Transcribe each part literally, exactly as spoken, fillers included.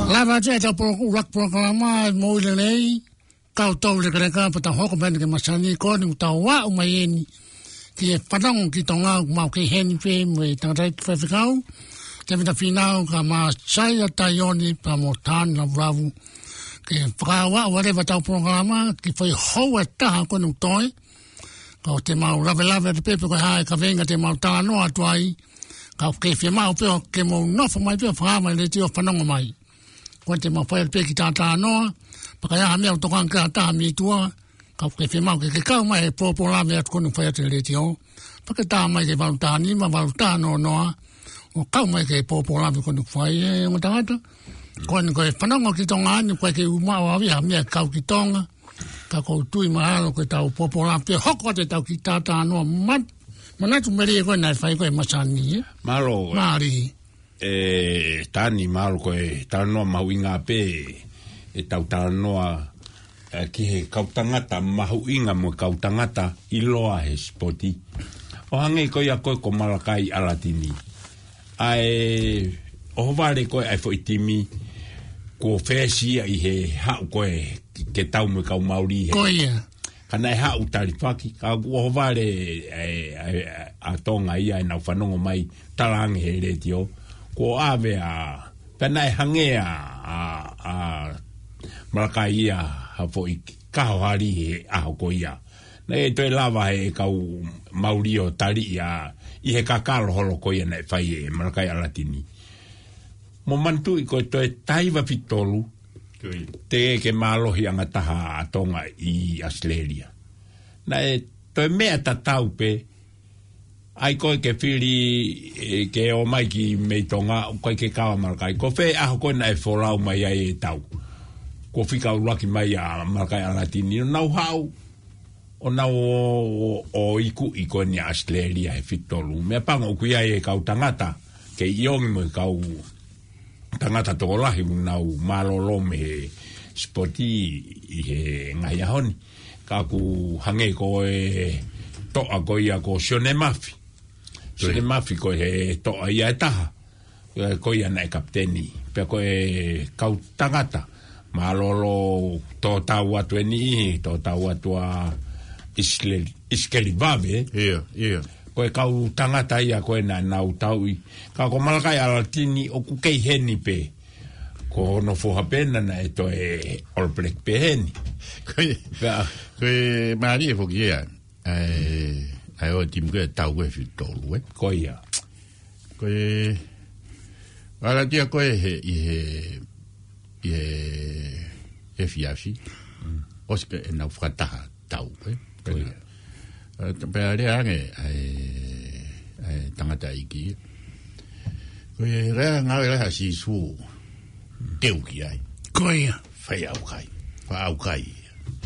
Lava atu ʻetau polo-, ʻuluaki polokalama, moʻui lelei, kau tau lekeleka, pea tau hoko mai eni ki he masani ko eni, tau aʻu mai eni ki he fanongo ki Tonga, ʻoku mau kei heni pē mo e tangataʻeiki faifekau, Tēvita Fīnau, kae ʻumaʻā Saia Taione, pea mo Tāne Lavulavu. Ke fakaaʻu atu leva ʻetau polokalama, ke fai hou e taha ko eni ʻoku toe, ka ʻoku te mau lavelave atu pē pe ko e hā e kaveinga te mau talanoa atu ai, ka ʻoku ke fiemaʻu pē ʻo ke mou nofo mai pē ʻo fakamaʻa e letiō ʻo fanongo mai. Ko eni te mau fai atu pē kiʻi talanoa, pea ka ʻi ai ha meʻa ʻoku tokanga ki ai ha taha mei tuʻa, ka ʻoku ke fiemaʻu ke ke kau mai he pōpō lave atu ko eni ʻoku fai atu he letiō. Pea ke tā mai ki he valu taha nima, valu taha noa noa, ʻo kau mai ki he pōpō lave ko eni ʻoku fai, ē, ongo tangata. Ko eni ko e fanongo ki Tonga ni, ko e ke uma o avi ha meʻa kau ki Tonga. Ka ʻoku ou tui mahalo ko ʻetau pōpō lave pē hoko atu ʻetau kiʻi talanoa mat-, manatu melie ko ē naʻe fai ko ē he masani, ē? Mālō. Mālie. ʻE, Tāne, mālō ko e talanoa mahuʻinga pē ʻetau talanoa, ē, ki he kau tangata mahuʻinga mo e kau tangata ʻiloa he sipoti. ʻO hangē ko ia ko ē ko Malakai ʻAlatini. ʻA e ʻohovale ko ē ʻa e foʻi timi, kuo fēsiʻi ia ʻi he haʻu ko ē ke tau mo e kau Mauli he. Ko ia. Ka naʻe haʻu talifaki, ka kuo ʻohovale ʻa e, ʻa e, ʻa Tonga ia ʻenau fanongo mai, talaange he letiō. Kuo ʻave ʻa, pea naʻe hangē ʻa, ʻa, ʻa Malakai ia ha foʻi kahohali he ʻaho ko ia. Naʻe toe lava he kau Mauli ʻo taliʻi ia ʻi he kakalo holo ko ia naʻe fai ʻe Malakai ʻAlatini. Mou manatuʻi ko e toe taha hiva fitu tolu, Ko ia. Teʻeki ke mālohi ʻa e taha ʻa Tonga ʻi ʻAositelēlia. Naʻe toe meʻa tatau pē, ʻai ko ē ke fili, ē, ke ō mai ki mei Tonga, ʻoku ʻikai ke kau ʻa Malakai. Ko fē ʻaho ko ē naʻe folau mai ai e tau, kuo fika ʻuluaki mai ʻa Malakai ʻAlatini, ʻo nau haʻu, ʻo nau ō, ō, ō ikuʻi ko eni ʻa ʻAositelēlia he fitu tolu. Meʻapango ʻoku ʻi ai e kau tangata, kei ʻiongi mo e kau tangata tokolahi ʻoku nau mālōlō mei he sipoti ʻi he ngaahi ʻaho ni. Ka ʻoku hangē ko e toʻa ko ia ko Sione Mafi. Ko ia. Sione Mafi ko e toʻa ia ʻe taha. Ē, ko ia naʻe kapiteni. Pea ko e kau tangata mālōlō, tō tau atu eni ʻi, tō tau atu ʻa ʻIsikeli, ʻIsikeli Vave. ʻIo, ʻio. Ko e kau tangata ia ko ē naʻa nau tauʻi. Ka ko Malakai ʻAlatini ʻoku kei heni pē. Ko hono foha pē naʻe toe All Black pē heni. Ko e, pea ko e mālie foki ia. ʻA e, ʻa e ʻo e timi ko ē tau ko ē fitu tolu, ē? Ko ia. Ko e, ʻAlatia ko ē he, ʻi he, ʻi he, he efiafi. Mm. ʻOsi pē ʻenau fakataha tau, ē? Ko ia. Ē, pea lea ange ʻa e, ʻa e tangataʻeiki. Ko e lea ngāue lea ʻa Sīsū teu ki ai. Ko ia. Fai ʻaukai. Fai ʻaukai.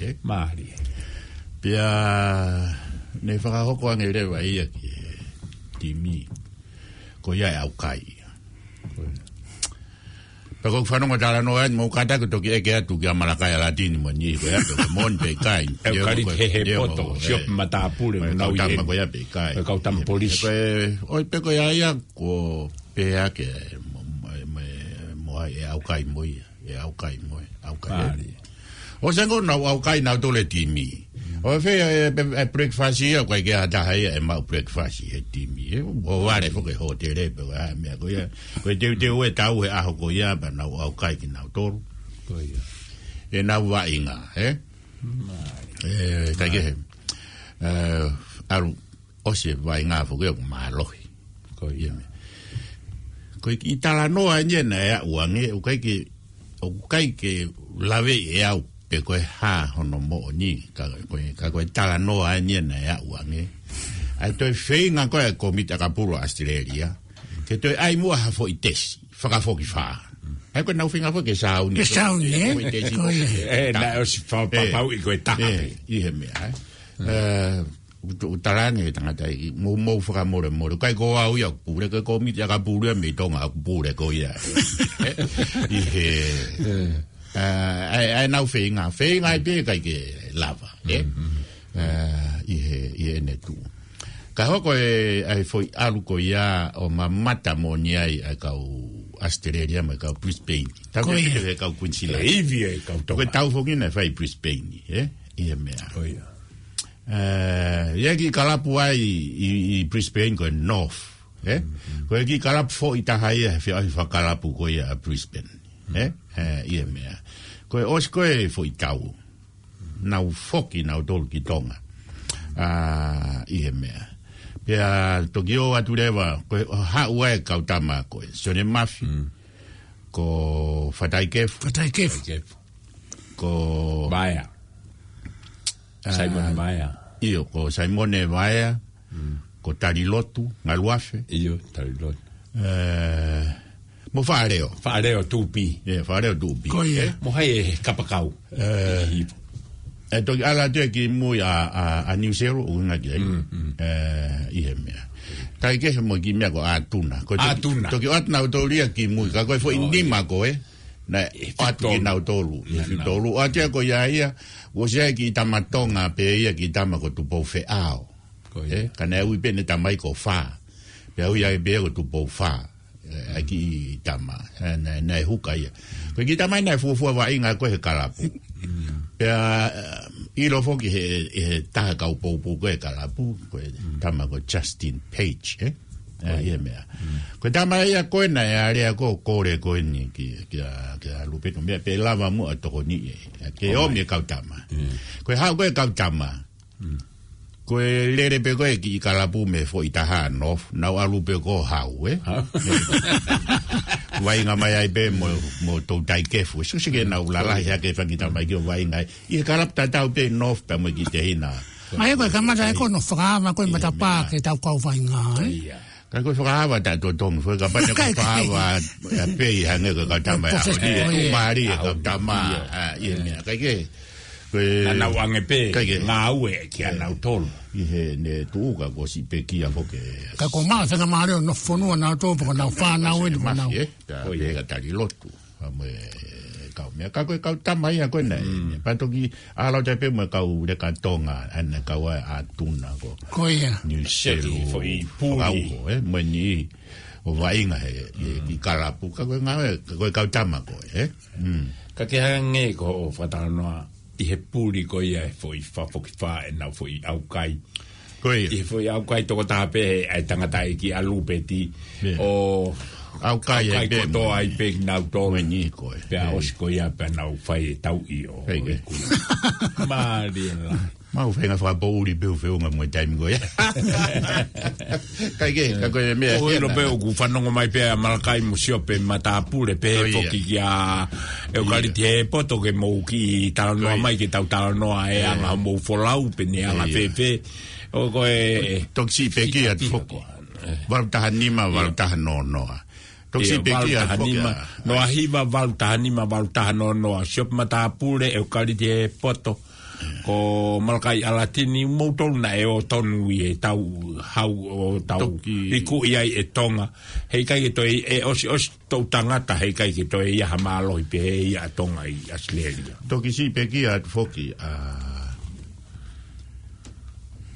Ē? Mālie. Pea ne fakahoko ange leva ia ki he timi. Ko ia e ʻaukai. Ko ia. Pea ko e fanongo talanoa eni, mou kātaki toki ʻeke atu kia Malakai ʻAlatini mo eni, ko ia pē ko e moni pe ʻikai. ʻEukaliti Hehepoto, ē, Siope Matāpule, ʻo e kau tama ko ia pe ʻikai. ʻO e kau tama polisi. Ko e, ʻoi pē ko ia ia, ko pea ke mo, mo, mo, mo ai e ʻaukai mo ia, e ʻaukai mo e, ʻaukai. Mālie. ʻO sengō nau ʻaukai nau tole timi. ʻO fē e, e, e breakfast ia, ʻoku ʻikai ke ʻi ai ha taha ia ʻe maʻu breakfast he timi. ʻE, ʻo vale foki hōtele pe ko e hā e meʻa ko ia. Ko e teuteu e tau he ʻaho ko ia, pea nau ʻaukai kinautolu. Ko ia. ʻEnau vaʻinga, ē? Mālie. Ē, ʻikai ke he. Ē, ʻalu ʻosi e vaʻinga foki ʻoku mālohi. Ko ia. Ko e kiʻi talanoa eni ia naʻe aʻu ange, ʻoku ʻikai ke, ʻoku ʻikai ke lave ʻe au pe ko e hā hono moʻoni, ka ko e, ka ko e talanoa eni ia naʻe aʻu ange. ʻA e toe feinga ko ē ʻa e kōmiti ʻakapulu ʻAositelēlia ke toe ʻai muʻa ha foʻi tesi fakafokifā. ʻA ia ko ʻenau feinga foki ke sāuni. Ke sāuni, ē? Foʻi tesi. Ko ia. Ē, naʻe ʻosi fa-, ē, papauʻi ko e taha. Ē, ʻi he meʻa, ē? Ē, ʻoku, ʻoku talaange he tangataʻeiki, mou, mou fakamolemole. ʻIkai ko au ia ʻoku pule, ko e kōmiti ʻakapulu ia mei Tonga ʻoku pule ko ia. ʻI he, ē, ʻa e, ʻa ʻenau feinga, feinga ai pē ʻikai ke lava, ē? Mm, mm. Ē, ʻi he, ʻi heʻene tuʻu. Ka hoko e, ʻa e foʻi ʻalu ko ia ʻo mamata moʻoni ai ʻa e kau ʻAositelēlia mo e kau Brisbane. Tau Ko ia. He kau Queensland. E ivi e kau Ko e Tonga. Tau foki naʻe fai Brisbane, ē? ʻI he meʻa. Ko ia. Eh, ʻi he kiʻi kalapu ai ʻi, ʻi Brisbane ko e North, ē? Mm, mm. Ko e kiʻi kalapu foʻi taha ia he feʻauhi fakakalapu ko ia ʻa Brisbane, ē? Mm. Eh, ʻi he meʻa. Ko e ʻosi ko e foʻi tau. Nau foki nautolu ki Tonga. Ah, ʻi he meʻa. Pea toki ō atu leva, ko e haʻu ai e kau tama ko e Sione Mafi, Mm. ko Fatai Kefu. Fatai Kefu. Fatai Kefu. Ko Vaea. Ah, Saimone Vaea. ʻIo, ko Saimone Vaea. Mm. Ko Talilotu, Ngaluafe. ʻIo, Talilotu. Eh, mo Faʻaleo. Faʻaleo Tupi. ʻIo, Faʻaleo Tupi. Ko ia. Eh? Mo hai e kapakau. Eh, Ivo. E toki ʻalu atu ia ki mui ʻa, ʻa, ʻa Niu Selu, ʻuhinga ki ai. Mm, mm. Eh, ʻi he meʻa. Kae kehe mo e kiʻi meʻa ko ʻAtuna. Ko e toki, ʻAtuna. Toki ʻoatu nautolu ia ki mui. Ka ko e foʻi Oh, nima ia. Ko ē. Naʻe ʻoatu ki Fitolu. Nautolu. ʻI Naʻa, naʻa. Fitolu. ʻOatu ia ko ia ia. ʻOsi ai kiʻi tama Tonga pē ia kiʻi tama ko Tupou Feʻao. Ko ia. Eh, ka naʻe ui pē ʻene tamai ko Fā. Pea ui ai pē ko Tupou Fā. Eh, ʻa e kiʻi tama. Eh, naʻe, naʻe huka ia. Ko e kiʻi tama ia naʻe fuofua vaʻinga ko ē he kalapu. Mm. Pea, eh, ʻilo foki he, he taha kau poupou ko ē he kalapu. Ko e Mm. tama ko Justin Page, eh? Eh, Ko ia. ʻI he meʻa. Mm. Ko e tama ia ko ē naʻe alea ko ē ʻo kole ko eni ki, kia, kia Lupeni. Meʻa pē lava muʻa tokoni ē. Ke Oh, ʻomi e kau tama. Mm. Ko e haʻu ko ē e kau tama. Mm. Ko e lele pē ko ē kiʻi kalapu mei he foʻi taha ʻa North, nau ʻalu pē ko ē ʻo haʻu, ē? Ha? Vaʻinga mai ai pē mo, mo Toutai Kefu. Sio sio ke nau lalahi hake fanga kiʻi tama ʻi ke ʻo vaʻinga ai. ʻI he kalapu tatau pē North pea mo e kiʻi tehina. ʻA ia ko e kamata e ko ē ʻo fakaava ko ē ʻI he matapā meʻa. Ke tau kau vaʻinga, ē? Ia. Ka ko e fakaava taʻetotongi, foʻi kapau naʻe ko e Kai, kai. Fakaava ʻa pē ʻi hangē ko e kau tama Ko e ʻaho ni, fes-, ʻe oh, tuʻu yeah. Mālie e kau tama, Ia. ʻA, ʻi he meʻa. Kai ke, ko e Naʻa nau ʻange pē, kai ke. Ngāue kia nautolu. ʻI heʻene tuʻuka ko siʻi pekia foki. Ka ko e maʻu e faingamālie ʻo nofo fonua nautolu, pea ko nau fānau eni, ko nau. Mafi, ē? Tā Ko ia. Pē ka Talilotu. Ka mo e kau meʻa, ka ko e kau tama ia ko ē naʻe. Mm. Pea toki ʻalu atu ai pē mo e kau leka Tonga, ʻa ē naʻe kau ai ʻa ʻAtuna ko Ko ia. Niu Selu. Siaki foʻi puli. Fakauho, ē, mo eni ʻo vaʻinga he, he Mm. kiʻi kalapu, ka ko e ngāue, ka ko e kau tama ko ē, ē? Mm. Ka ke hangē ko hoʻo fakatalanoa ʻi he puli ko ia he foʻi fā foki fā ʻenau foʻi ʻaukai. Ko ia. ʻI he foʻi ʻaukai tokotaha pē ʻa e tangataʻeiki ʻa Lupeti. Ia. ʻO ʻaukai ai ʻaukai pē kotoa mo ai pē kinautolu. Mo eni ko ē. Pea Ia. ʻOsi ko ia pea nau fai e tauʻi ʻo Ia. ʻEiki. Mālie lahi. Mau fainga fakapoʻuli pē ʻo feʻunga mo e taimi ko ia. Kai ke, ka ko e meʻa ʻOku ʻilo pē ʻoku fanongo mai pē ʻa Malakai mo Siope Matapule pē Ko ia. Foki kia ʻEukaliti Ia. He poto ke mou kiʻi talanoa Ko ia. Mai ke tau talanoa e Ia. Anga mou folau pe ne anga Ia. Fēfē. ʻO ko e Toki siʻi pekia atu foki. Valu taha nima, Ia. Valu taha noa noa. Toki Ia, siʻi pekia atu foki valu taha nima, ʻa. Noa hiva, valu taha nima, valu taha noa noa. Siope Matapule, ʻEukaliti He poto. Ko Malakai ʻAlatini, moutolu naʻe ō tonu ʻi he tau hau ʻo tau Toki. Iku ʻi ai e Tonga. Heʻikai ke toe ʻe ʻosiʻosi toʻu tangata, heʻikai ke toe ʻi ai ha mālohi pehē ia ʻa Tonga ʻi ʻAositelēlia. Toki siʻi pekia atu foki, ʻa,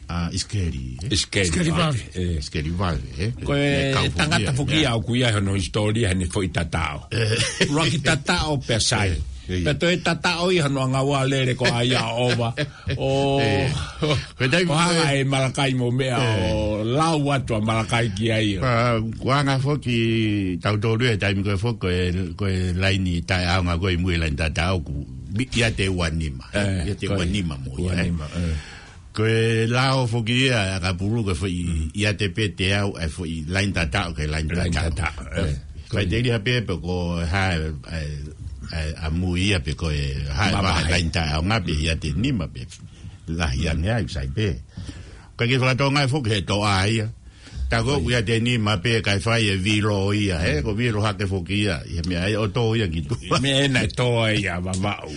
ʻa ʻIsikeli, ē? ʻIsikeli ʻIsikeli Vave. Vave, ē. ʻIsikeli Vave, ē? Ko e Naʻe kau foki tangata ia, foki ia. Ia ʻoku ʻi ai hono hisitōlia heʻene foʻi tataʻo. Ē. ʻUluaki tataʻo pea sai. Ē, ē. Pea toe tataʻo ia hono ngāue lele ko ia ʻova. ʻO, Ē. Ko e taimi ʻo hanga ko ē ʻe Malakai mo meʻa Ē. ʻO lau atu ʻa Malakai ki ai. Pea, kuo hanga foki tautolu he taimi ko ē foki ko e, ko e laini taʻeʻaonga ko ē ʻi mui laini tataʻo ʻoku ʻiate ua nima. Ē, ʻiate ko ua nima mo ia, ua nima, ē. Ko e lao foki ia, ʻa Kapulu ko e foʻi Mm. ʻiate pē teau, ʻa e foʻi laini tataʻo ki he laini Laini tataʻo. Tataʻo, ē. Ko e Faiteliha pē pe ko e hā, ʻa, ʻa, ʻa mui ia pe ko e hā, Mamahi. Vahe laini tataʻo ngā pē ʻiate nima pē. Lahi ange ai, sai pē. Ka ke fakatonga foki he toʻa ia. Tā ko ʻeku ʻiate nima pē kae fai e vilo ia, he, ko vilo hake foki ia, ʻi he meʻa ʻe ʻoto ia ki tuʻa. Meʻa ena ʻe tō ai ʻa Vavaʻu.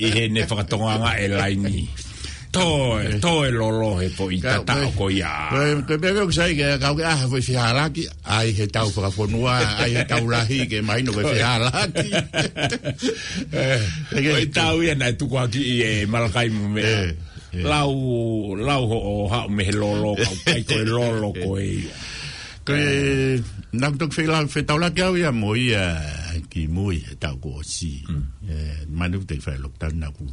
ʻI heʻene fakatonga e laini. Tō, tō e lolo he foʻi Ka, tataʻo ko, ko ia. ko, ko e meʻa ʻoku sai ke kau ke ʻaha foʻi fehālaaki, ʻai he tau fakafonua, ʻai he tau lahi ke mahino ko e fehālaaki. Ē, Ke, ko e ke, tau ia naʻe tukuakiʻi ʻe Malakai mo meʻa. Ē. Lau, lau hoʻo haʻu mei he lolo, kau kai ko e lolo ko ia. Ko e, naʻá ku toki feilaulau fetaulaki au ia mo ia kimui he taʻu kuo ʻosi. Mm. Ē, manatu te fai lockdown naʻá ku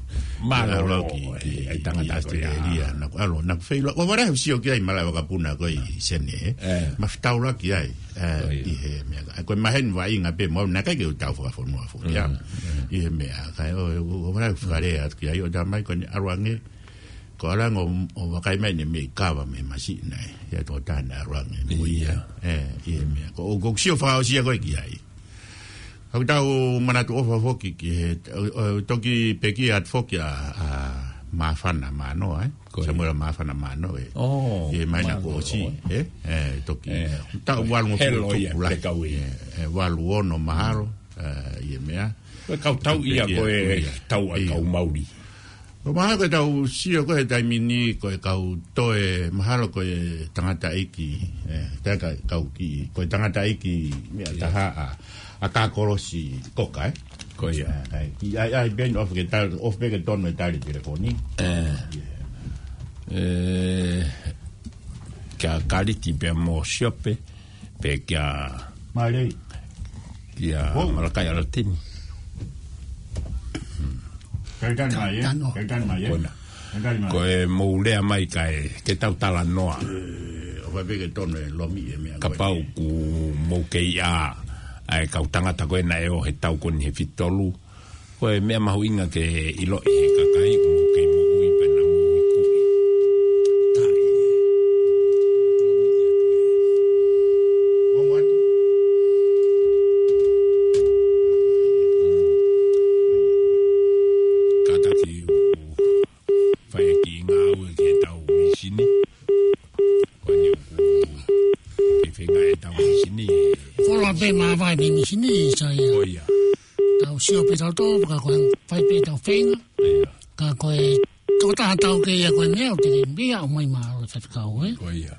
Mālō, ʻalu ki, ki, ʻe, ʻe tangata ki ko ia. Australia, naʻá ku ʻalu, naʻá ku feilaulau. ʻOfa lahi ʻeku sio ki ai malaʻe vakapuna ko ē ʻi Senē. Ē. Ma fetaulaki ai, ē, Ko ia. ʻi he meʻa. Ko e maheni vaʻinga pē mo au naʻe ʻikai ke u tau fakafonua foki ia. Mm, mm. ʻI he meʻa, kae ʻo, ʻo, ʻofa lahi ʻeku fakalea atu ki ai ʻo talamai ko ʻene ʻalu ange. Ko e ʻalu ange ʻo, ʻo vakai mai ʻene meʻi kava mei he masiʻi naʻe. Ia tō tana ʻalu ange mo ia. Ia. Ē, ʻi he meʻa. Ko, ʻoku ou sio fakaʻosi ia ko ē ki ai. ʻOku tau manatu ʻofa foki ki he, ʻo, ʻo, toki pekia atu foki ʻa, ʻa Māfana Mānoa, ē? Ko ia. Samuela Māfana Mānoa, ē? ʻO, ʻI he māhina Mānoa, kuo ʻosi, ʻo. ē? Ē, toki. Ē. Taʻu valungofulu Helo ia, tupu lahi. Pekau ia. Ē, ē, valu ono mahalo, ē, ʻi he meʻa. Ko e kau tau ia, Pekia ko e atu ia. tau ʻa e Ia. kau Mauli. Ko mahalo ko e tau sio ko e taimi ni ko e kau toe, mahalo ko e tangataʻeiki, ē, tae ka, kau ki, ko e tangataʻeiki meʻa Ia. taha ʻa, ʻa Kakolosi Koka, ē? Ko ia. Ē, ē, ki, ai, ai, Ben, ʻofa ke tali, ʻofa pē ke tonu e tali telefoni. Ē. Ia. Ē, kia Kaliti pea mo Siope, pea kia Mālei. kia Wow. Malakai ʻAlatini. Kaitani mai, ē? Tano. Kaitani mai, ē? Kona. Kaitani mai. Ko e mou lea mai kae, ke tau talanoa. Ē, ʻofa pē ke tonu e lomi e meʻa ko ē. Kapau ʻoku mou kei ʻā, ʻa e kau tangata ko ē naʻe ō he taʻu ko eni he fitu tolu. Ko e meʻa mahuʻinga ke ʻiloʻi he kakai ʻoku mou kei moʻui pea naʻa mou ikuʻi. Taʻi. Ongo atu. Kātaki ʻoku fai e kiʻi ngāue ki he tau mīsini. Ko eni ʻoku ke feinga e tau mīsini. Fola pē māvae mei mīsini, Saia. Ko ia. Tau sio pē tau tō, ka ko e fai pē tau feinga. Ia. Ka ko e tokotaha tau ke ia ko e meʻa, ʻo te ke meʻa, ʻomai mālō e faifekau, ē? Ko ia.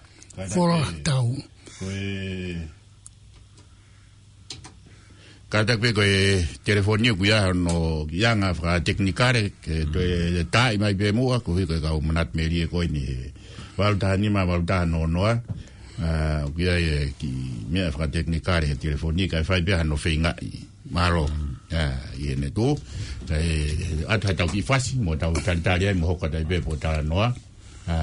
Fola tau. Ko e Kātaki pē ko e telefoni ʻoku ʻi ai hono kiʻi anga fakatekinikale, ke Mm. toe taaʻi mai pē muʻa, koeʻuhi ko e kau manatu melie ko eni he valu taha nima, valu taha noa noa. Ā, ʻoku ʻi ai e kiʻi meʻa fakatekinikale he telefoni, kae fai pē hano feingaʻi. Mālō. Mm. Ā, ʻi heʻene tuʻu. Kae ʻatu ha tau kiʻi fasi, mo tau talitali ai, mo hoko atu ai pē pe ʻoku talanoa. Ā,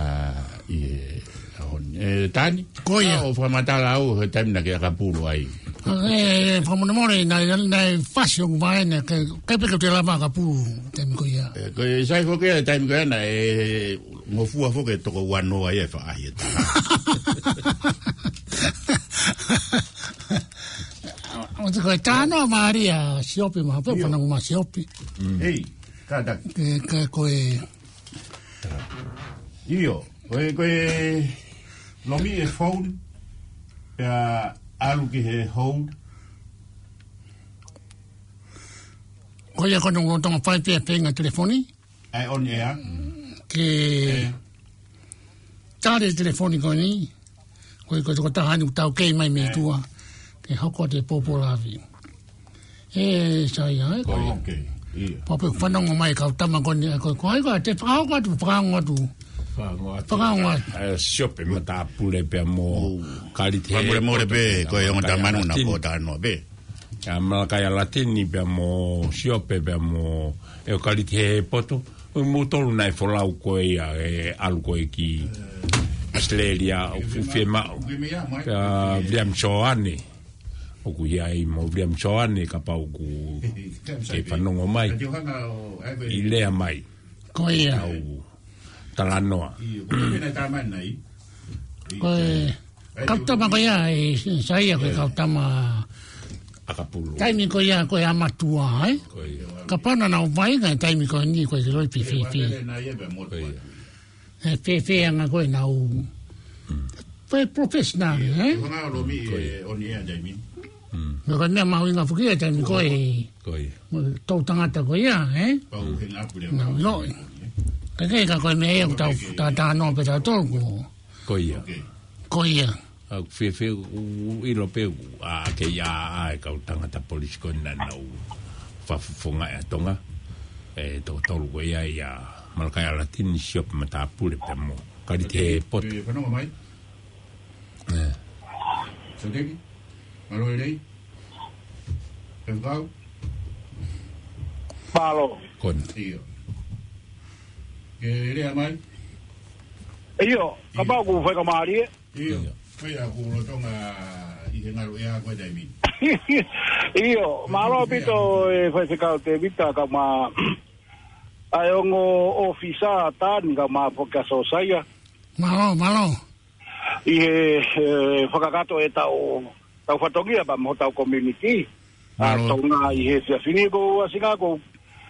ʻi he ʻaho ni. Ē, Tani? Ko ia. ʻOku ou fakamatala au, he taimi naʻá ke ʻakapulu ai. Ē, ē, fakamolemole, naʻe, naʻe fasi hoku vaʻe, naʻe ʻikai, ʻikai pē ke u toe lava ʻakapulu, taimi ko ia. Ē, ko e sai foki ia, taimi ko ia naʻe ngofua foki e toko ua noa ia e faʻahi ʻe taha. ʻO te ko e tano a Maria Siopi, ma pe Io. fanongo mai Siopi. Mm. Hei, kātaki. Ke, ke ko e ʻIo, ko e, ko e lomi e phone, pea ʻalu ki he hold. Ko ia ko hono lolotonga fai pē feinga telefoni. ʻA e on air. Ke Ē. tali e telefoni ko eni. Ko e, ko e tokotaha ni ʻoku taukei mai mei Ē. tuʻa. Ke hoko atu e pōpō lavi. Ē, Saia, ē? Ko ia. Ok, ʻio. Pea pē fanongo mai kau tama ko eni, ko, ko hai ko ē te fakahoko atu, fakaongo atu. Fakaongo atu. Fakaongo atu. Ē, Siope Matāpule pea mo Ō. Kaliti Fakamolemole Hepoto pē, pea ko e mo ongo Malakai tamanu na Latini. Ko tano pē. ʻA Malakai ʻAlatini pea mo Siope pea mo ʻEo Kaliti Hepoto. Ko moutolu naʻe folau ko ia ʻe ʻalu ko ē ki Australia ʻoku fiemaʻu. Pea William Soane. ʻOku ʻi ai mo William Soane kapau ʻoku ke fanongo mai. ʻI lea mai. Ko ia. Au talanoa. Ko e kau tama ko ia, ē, Saia ko e kau tama ʻAkapulu. Taimi ko ia ko e ʻamatua, ē? Ko ia. Kapau naʻa nau vaʻinga he taimi ko eni ko e loi fēfē. Ko ia. Ē, fēfē anga ko ē nau. Mm. Ko e professional, ē? Ko e hanga ʻo lomi, ko ia. ʻE, on air taimi. Mm. Ko e meʻa mahuʻinga foki e taimi ko ē. Ko ia. Mo e tau tangata ko ia, ē? Pau he ngā pule. Nau ʻilo. Ka ke ka ko e meʻa ia ʻoku tau, tau talanoa pē tautolu ko. Ko ia. Ok. Ko ia. ʻA, fēfē, ʻoku ʻilo pē ʻoku, ʻa, ke ʻi ai ʻa e kau tangata polisi ko ē naʻa nau fakafofongaʻi ʻa Tonga. Ē, toko tolu ko ia ia Malakai ʻAlatini, Siope Matāpule pea mo Kaliti Hepoto. Ē, fanongo mai. Ē. Soteki, mālō e lelei. Faifekau. Mālō. Kona. ʻIo. Ke lea mai. ʻIo, kapau ʻoku fai ka mālie. ʻIo. ʻIo. Ko ia ʻoku lolotonga ʻi he ngalu ʻea ko e taimi. ʻIo, mālō ʻaupito e Faifekau Tēvita kae ʻumaʻā ʻa e ongo ʻōfisa Tani kae ʻumaʻā foki ʻa Sosaia. Mālō, mālō. ʻI he, he fakakakato ʻetau, tau fatongia pea mo hotau community. ʻA Mālō. Tonga ʻi he efiafi ni ko ʻAsinga ko,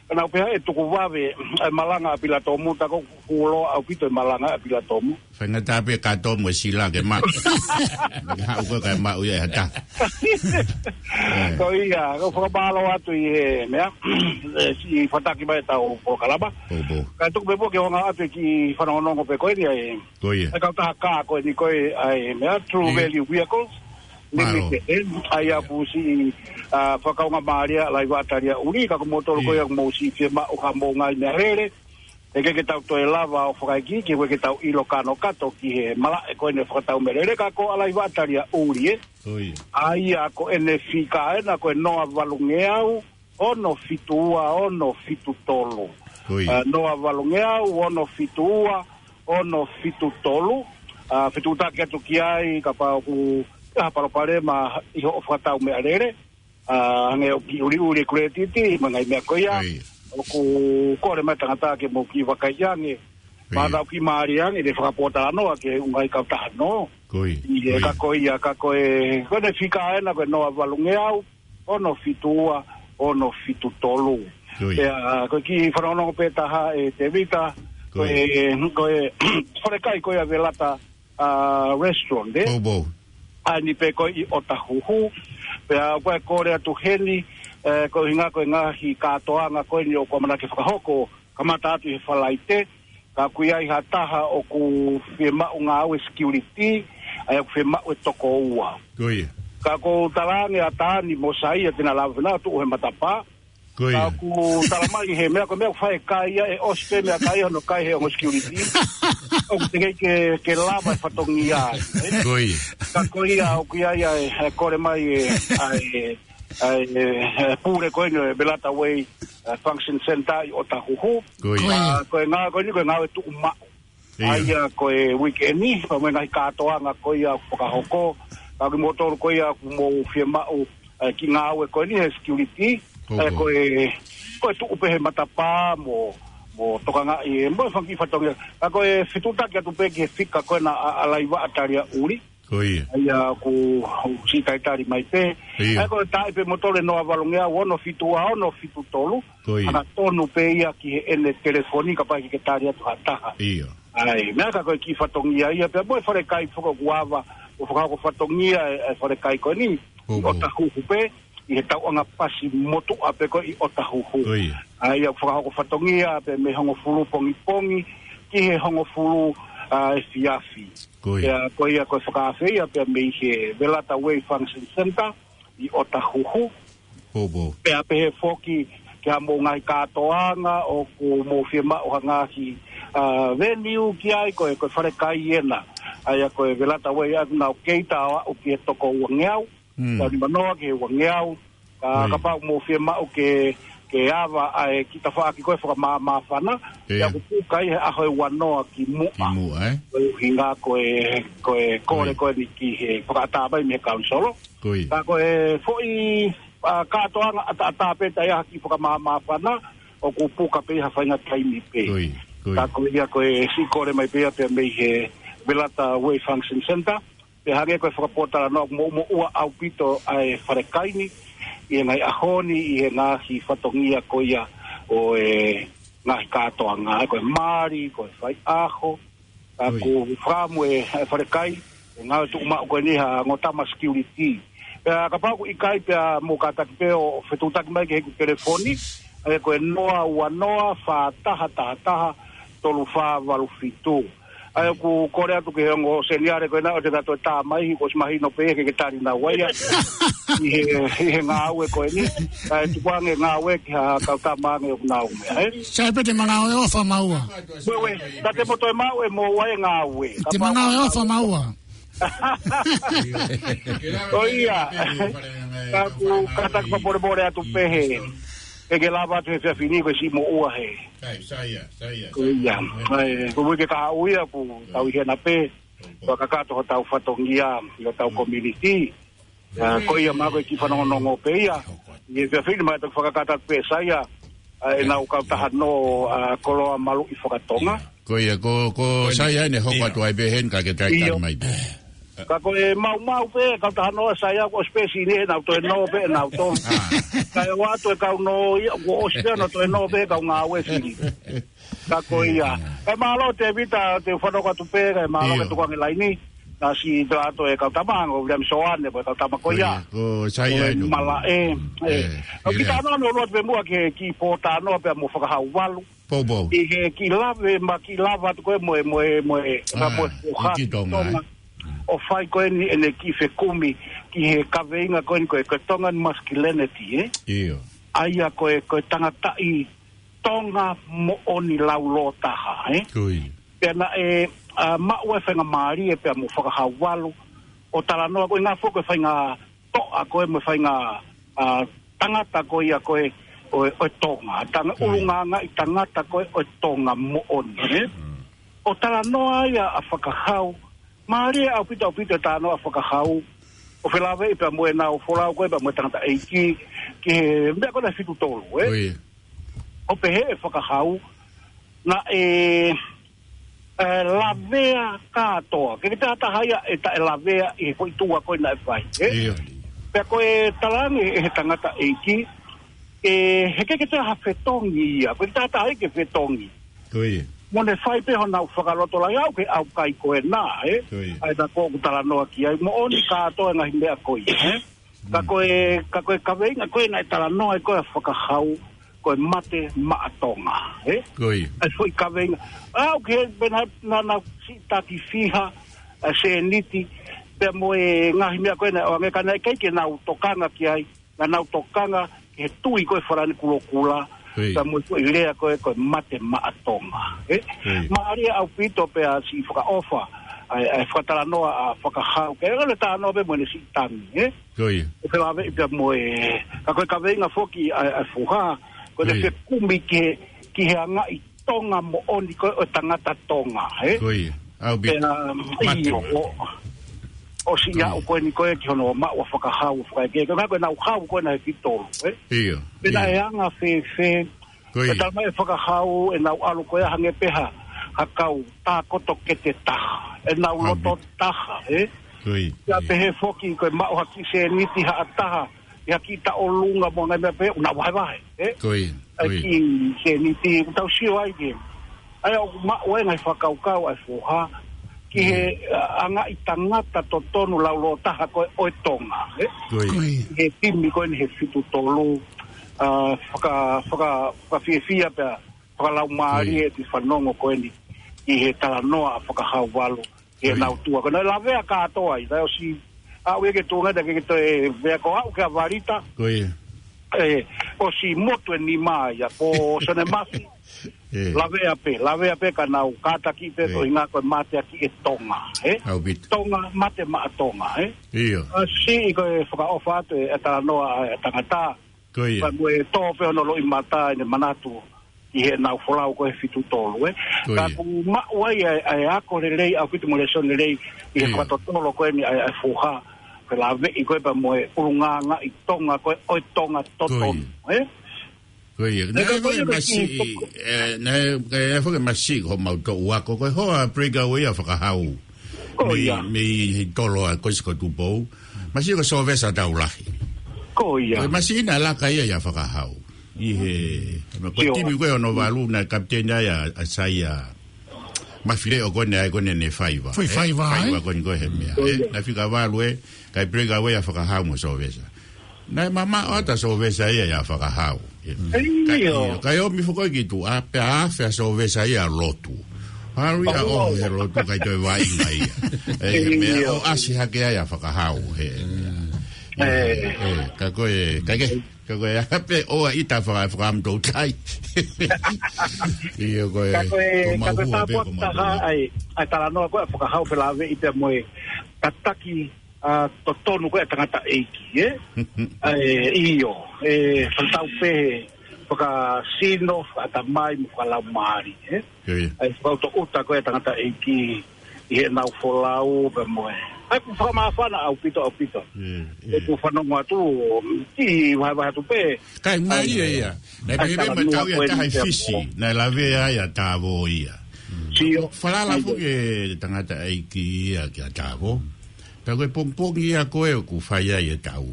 naʻa ku pehē ʻe tuku vave ʻa e malanga ʻa Pilatomu, tā ko e kulo ʻaupito e malanga ʻa Pilatomu. Faingataʻa pē ka tō mo e sila ke maʻu. Ke haʻu ko e kae maʻu ia ʻe ha taha. Ko ia, ko e fakamālō atu ʻi he meʻa, ʻe siʻi fataki mai ʻetau polokalama. Pō, pō. Kae tuku pē pō ke ʻoange atu e kiʻi fanongonongo pē ko eni ʻa e Ko ia. ʻA e kautaha kā ko eni ko e ʻa e meʻa, True Ia. Value Vehicles Mālō. Limited, ʻa ia ʻoku siʻi, ʻa, fakakaungāmālie ʻa Laiva ʻAtalia ʻUli, ka ko moutolu ko ia Ia. ʻoku mou siʻi fiemaʻu ha mou ngaahi meʻalele. ʻE ʻikai ke tau toe lava ʻo fakaikiiki, ʻikai ke tau ʻilo kanokato ki he malaʻe ko eni fakatau meʻalele, ka ko ʻa Laiva ʻAtalia ʻUli ē. Ko ia. ʻA ia ko ʻene fika ena ko e noa valungeau, ono fitu ua, ono fitu tolu. Ko ia. ʻA, noa valungeau, ono fitu ua, ono fitu tolu. ʻA, fetuʻutaki atu ki ai, kapau ʻoku ʻi ai ha palopalema ʻi hoʻo fakatau meʻalele. ʻA, hangē ʻoku kiʻi ʻuliʻuli e kuletiti, mo e ngaahi meʻa ko ia. Ko ia. ʻOku kole mai tangata ke mou kiʻi vakai ange. Ko ia. Mata ʻoku kiʻi mālie ange, ʻe fakapōtalanoa ki he ʻū ngaahi kautaha nō. Ko ia. ʻIo, Ko ia. ka ko ia, ka ko e, ko ʻene fika ena, ko e noa valungeau, ono fitu ua, ono fitu tolu. Ko ia. Pea, ko e kiʻi fanongonongo pē taha ʻe Tēvita, Ko ko ia. e, ko e, falekai ko ia Velata, ʻa, restaurant, ē? Pō, pō. ʻA eni pē ko ē ʻi ʻOtahuhu. Pea ko e kole atu heni, ē, ko e ʻuhinga ko e ngaahi kātoanga ko eni ʻoku ʻamanaki fakahoko, kamata atu ʻi he Falaite, ka ʻoku ʻi ai ha taha ʻoku fiemaʻu ngāue security, ʻa ia ʻoku fiemaʻu e toko ua. Ko ia. Ka ʻoku ou talaange ʻa Tani mo Saia te na lava ʻo tuʻu he matapā. Ko ia. Ka ʻoku tala mai he meʻa ko e meʻa ʻoku fai e kai ia ʻe ʻosi pē meʻakai hono kai he ongo security. ʻOku teʻeki ke, ke lava e fatongia ai, ē? Ko ia. Ka ko ia ʻoku ʻi ai ʻa e, ʻa e kole mai e, ʻa e, ʻa e, ʻa e pule ko eni ʻo e Velata Way, ʻa e Function Center ʻi ʻOtahuhu. Ko ia. Ko ia. ʻA, ko e ngā-, ko eni ko e ngāue tuʻu maʻu. ʻIo. ʻA ia ko e weekend ni, pea mo e ngaahi kātoanga ko ia ʻoku fakahoko. Ka ko kimoutolu ko ia ʻoku mou fiemaʻu, ʻa e kiʻi ngāue ko eni he security. Ko, ʻa e ko. ko e, ko e tuʻu pē he matapā mo, mo tokangaʻi e, mo e fanga kiʻi fatongia. Ka ko e fetuʻutaki atu pē ki he fika ko ena ʻa, ʻa Laiva ʻAtalia ʻUli. Ko ia. ʻA ia ʻoku siʻi talitali mai pē. ʻIo. ʻA ia ko e taaʻi pē moutolu e noa valungeau ono fitu ua ono fitu tolu. Ko ia. Hangatonu pē ia ki heʻene telefoni kapau ʻe ʻikai ke tali atu ha taha. ʻIo. ʻA ia, meʻa ka ko e kiʻi fatongia ia pea mo e falekai foki ʻoku ava, ʻo fakahoko fatongia e, e falekai ko eni, Ko, ʻi ko. ʻOtahuhu pē, ʻi he tauʻanga pasi motuʻa pē ko ē ʻi ʻOtahuhu. Ko ia. ʻA ia ʻoku fakahoko fatongia pē mei he hongofulu pongipongi, ki he hongofulu, ʻa, efiafi. Ko ia. Pea ko ia ko e fakaafe ia pea mei he Velata Way Function Center ʻi ʻOtahuhu. Pō, pō. Pea pehē foki ki ha mou ngaahi kātoanga ʻoku mou fiemaʻu ha ngaahi, ʻa, venue ki ai ko e, ko e falekai ena. ʻA ia ko e Velata Way ʻoku nau kei tā ʻo aʻu ki he toko uangeau. Mm. Tau ni manoa ki he uangeau. Ka, Ko ia. kapau mou fiemaʻu ke, ke ava ʻa e kiʻi tafaʻaki ko ē fakamāmāfana, ʻIo. ʻa ia ʻoku puka ʻi he ʻaho ʻe uanoa ki muʻa. Ki muʻa, ē? Ko e ʻuhinga ko e, ko e kole Ko ia. ko eni ki he fakaʻatā mai mei he kaunisolo. Ko ia. Ka ko e foʻi, ʻa, kātoanga ʻataʻatā pē taʻe ʻi ai ha kiʻi fakamāmāfana, ʻoku puka pē ʻi ha faʻahinga taimi pē. Ko ia, ko ia. Ka ko ia ko e siʻi kole mai pē ia pea mei he Velata Way Function Center. Pea hangē ko e fakapōtalanoa ʻoku moʻumoʻua ʻaupito ʻa e falekai ni, ʻi he ngaahi ʻaho ni, ʻi he ngaahi fatongia ko ia ʻo e ngaahi kātoanga, ko e mali, ko e faiʻaho, Ka Ui. ʻoku fakaʻamu e, e falekai, e ngāue tuʻumaʻu ko eni ha ongo tama security. Pea kapau ʻoku ʻikai pea mou kātaki pē ʻo fetuʻutaki mai ki heʻeku telefoni, ʻa ia ko e noa ua noa fā taha taha taha tolu fā valu fitu. ʻA ia ʻoku kole atu ki he ongo seniale ko ena ʻoua te na toe tā mai, he kuo ʻosi mahino pē ia ke ke tali naua ia. ʻI he, ʻi he ngāue ko eni. ʻA ia tukuange ngāue ki ha kau tama ange ʻoku nau meʻa, ē? Sai pē te ma ngāue ʻofa maua. Ueue, ka te mo toe maʻu ʻe moua e ngāue. Te ma ngāue ʻofa maua. Ko ia. Ka ʻoku kātaki fakamolemole atu pē he, ke ke lava atu he efiafi ni ko e siʻi moʻua he. Ko ia. ʻAi, ko e uike kahaʻu ia ʻoku tau ʻi hena pē. Fakakakato hotau fatongia ʻi hotau community. ʻA, ko ia, ma ko e kiʻi fanongonongo pē ia. ʻI he efiafi ni ma toki fakakakato pē Saia, ʻa, ʻenau kautaha nō, ʻa, koloa maluʻi fakatonga. Ko ia, ko, ko Saia ʻene hoko atu ai pē heni ka ke talitali mai pē. Ka ko e maumau pē, kautaha nō ʻa Saia ko e space ni ʻenau toe nō pē ʻenau tō. Ka e ʻoatu e kau nō ia, ko ʻosi pē ʻenau toe nō pē kau ngāue fili. Ka ko ia. Kae mālō Tevita, te u fanongo atu pē, kae mālō ke tuku ange laini. Na si to ato e kau tama, ko William Soane, ko e kau tama ko ia. Ko Saia ʻi he malaʻe. ʻOku kita ano ano loa pē muʻa ke ki pō tano pea mo Fakahau valu. ʻI he kiʻi lave, ma kiʻi lava atu ko e mo e, mo e, mo e, mo e ki Tonga. ʻO fai ko eni ʻene kiʻi fekumi, ki he kaveinga ko eni ko e, ko e Tongan masculinity, ē? ʻA ia ko e, ko e tangataʻi Tonga moʻoni laulōtaha, ē? Pea naʻe, ʻa, maʻu e faingamālie pea mo Fakahau valu, ʻo talanoa ko e ngaahi foʻi ko e faingatoʻa ko e mo e fainga, ʻa, tangata ko ia ko e, ʻo e, ʻo e Tonga. Tanga, ʻulungaanga ʻi tangata ko e, ʻo e Tonga moʻoni, ē? ʻO talanoa ia ʻa Fakahau, mālie ʻaupito ʻaupito e talanoa ʻa Fakahau, ʻo felāveʻi pea mo ʻenau folau ko e pea mo e tangataʻeiki, ki he meʻa ko ena fitu tolu, ē? ʻO pehē ʻe Fakahau, naʻe, ʻe, lavea kātoa. Ke ke taha ia ʻe taʻe lavea ʻi he foʻi tuʻa ko ena ʻe fai, ē? Pea ko e talaange ʻe he tangataʻeiki, ʻe, he ke ke taha fetongi ia, ko e taha ia ke fetongi. Mo ne fai pē honau fakalotolahi au ke au kai ko ena, ē? ʻA ia ko ʻoku talanoa ki ai, moʻoni kātoa e ngaahi meʻa ko ia, ē? Ka ko e, ka ko e kaveinga ko ena ʻe talanoa ai ko e Fakahau, ko e mate maʻa Tonga, ē? ʻA e foʻi kaveinga. Au ke pena na, na si taki fiha, ʻa, sēniti, pea mo e ngaahi meʻa ko ena, ʻo ange ka naʻe ʻikai ke nau tokanga ki ai, naʻa nau tokanga ki he tui ko e Falani kulokula, pea mo e foʻi lea ko e, ko e mate maʻa Tonga, ē? Mālie ʻaupito pea siʻi fakaʻofa, ʻa e, ʻa e fakatalanoa ʻa Fakahau, ke ʻalu e talanoa pē mo ʻene siʻi tangi, ē? ʻO felāveʻi pea mo e, ka ko e kaveinga foki ʻa e, ʻa e foha, ko ʻene fekumi ki he, ki he angaʻi Tonga moʻoni ko e, ʻo e tangata Tonga, ē? Pea, ʻio, ʻo, ʻosi aʻu ko eni ko e ki hono maʻu ʻa Fakahau, fakaeke, ko e ngaahi ko ʻenau hau ko ena he fitu tolu, ē? Pea naʻe anga fēfē, ʻe talamai ʻe Fakahau, ʻenau ʻalu ko e hangē pē ha, ha kau tākoto kete taha, ʻenau loto taha, ē? Pea pehē foki ko e maʻu ha kiʻi sēniti haʻa taha, ʻi ha kiʻi taʻolunga mo e ngaahi meʻa pehē, ʻoku nau vahevahe, ē? ʻA e kiʻi sēniti, ʻoku tau sio ai ke. ʻA ia ʻoku maʻu ai e ngaahi fakakaukau ʻa e foha, ki he, ʻa, angaʻi tangata totonu laulōtaha ko e ʻo e Tonga, ē? He timi ko eni he fitu tolu, ʻa, faka-, faka-, fakafiefia pea fakalaumālie ʻeku fanongo ko eni ʻi he talanoa ʻa Fakahau valu, ʻi heʻenau tuʻa. Ko ʻenau lavea kātoa ai, naʻe ʻosi aʻu ia ki he tuʻunga naʻe ʻikai ke toe lea ko au kia Valita. ʻE, ʻosi motu e nima ia, ko Sone Masi. Lavea pē, lavea pē ka nau kātaki pē ko e ʻuhinga ko e mateaki ʻa Tonga, ē? Tonga, mate maʻa Tonga, ē? ʻA siʻi ko e fakaʻofa atu e talanoa ʻa e tangata. Ka mo e tō pē hono loʻimata ʻene manatu ʻi heʻenau folau ko e fitu tolu, ē. Ka ʻoku maʻu ai ʻa e, ʻa e ako lelei, ʻaupito mo e lēsoni lelei, ʻi he fakatotolo ko eni ʻa e, ʻa e foha. Ko e laveʻi ko e pea mo e ʻulungaanga ʻi Tonga ko e, ʻo e Tonga totonu, ē. Ko ia. Naʻe ʻi ai e foʻi masiʻi, ē, naʻe, naʻe ʻi ai e foʻi masiʻi ko homau toʻu ako, ko e hoa Breakaway ʻa Fakahau. Mei, mei he tolo ʻa Kosikoe Tupou. Masiʻi ko Sovesa Taulahi. Ko ia. Ko e masiʻi naʻe laka ia ʻia Fakahau. ʻI he, ko e timi ko e ono valu naʻe kapiteni ai ʻa, ʻa Saia Mafileʻo ko eni ʻa e ko eni ʻene faiva. Foʻi faiva, ē? Faiva ko eni ko e he meʻa, ē? Naʻe fika valu ē, kae Breakaway ʻa Fakahau mo Sovesa. Naʻe mamaʻo atu ʻa Sovesa ia ʻia Fakahau. Ka ʻio, kae ʻomi foki ki tuʻa, pea afe ʻa Sovesa ia ʻo lotu. Hau ia ʻo he lotu kae toe vaʻinga ia. ʻE, meʻa ʻo ʻasi hake ai ʻa Fakahau, he. ʻE, ka ko e, ka ke, ka ko e, ʻa pē ʻoua ʻita faka-, fakaʻamu toutai. ʻIo ko e, ka ko e, ko e tāpuaki taha ʻa e, ʻa e talanoa ko e ʻa Fakahau felāveʻi pea mo e tataki ʻa e totonu ko ē ʻa e tangataʻeiki, ē? ʻA e, ʻio, ʻe fakatau pē he fakasino, fakaʻatamai mo fakalaumālie, ē? ʻIo, ʻio. ʻA e fakaʻutoʻuta ko ē ʻa e tangataʻeiki ʻi heʻenau folau pea mo e. ʻA ia ʻoku fakamāfana ʻaupito, ʻaupito. ʻIo, ʻio. ʻOku fanongo atu, ʻi vahevahe atu pē. Kae ʻai, mālie ia. Naʻe ʻai pehē pē mo e talanoa tau ia ko eni taha ʻi pea Fisi, mo. Naʻe lavea ai ʻa Tavo ia. Sio. Falala ʻAi, foki ʻe tangataʻeiki ia kia Tavo. Pea ko e pongipongi ia ko ē ʻoku fai ai e tau.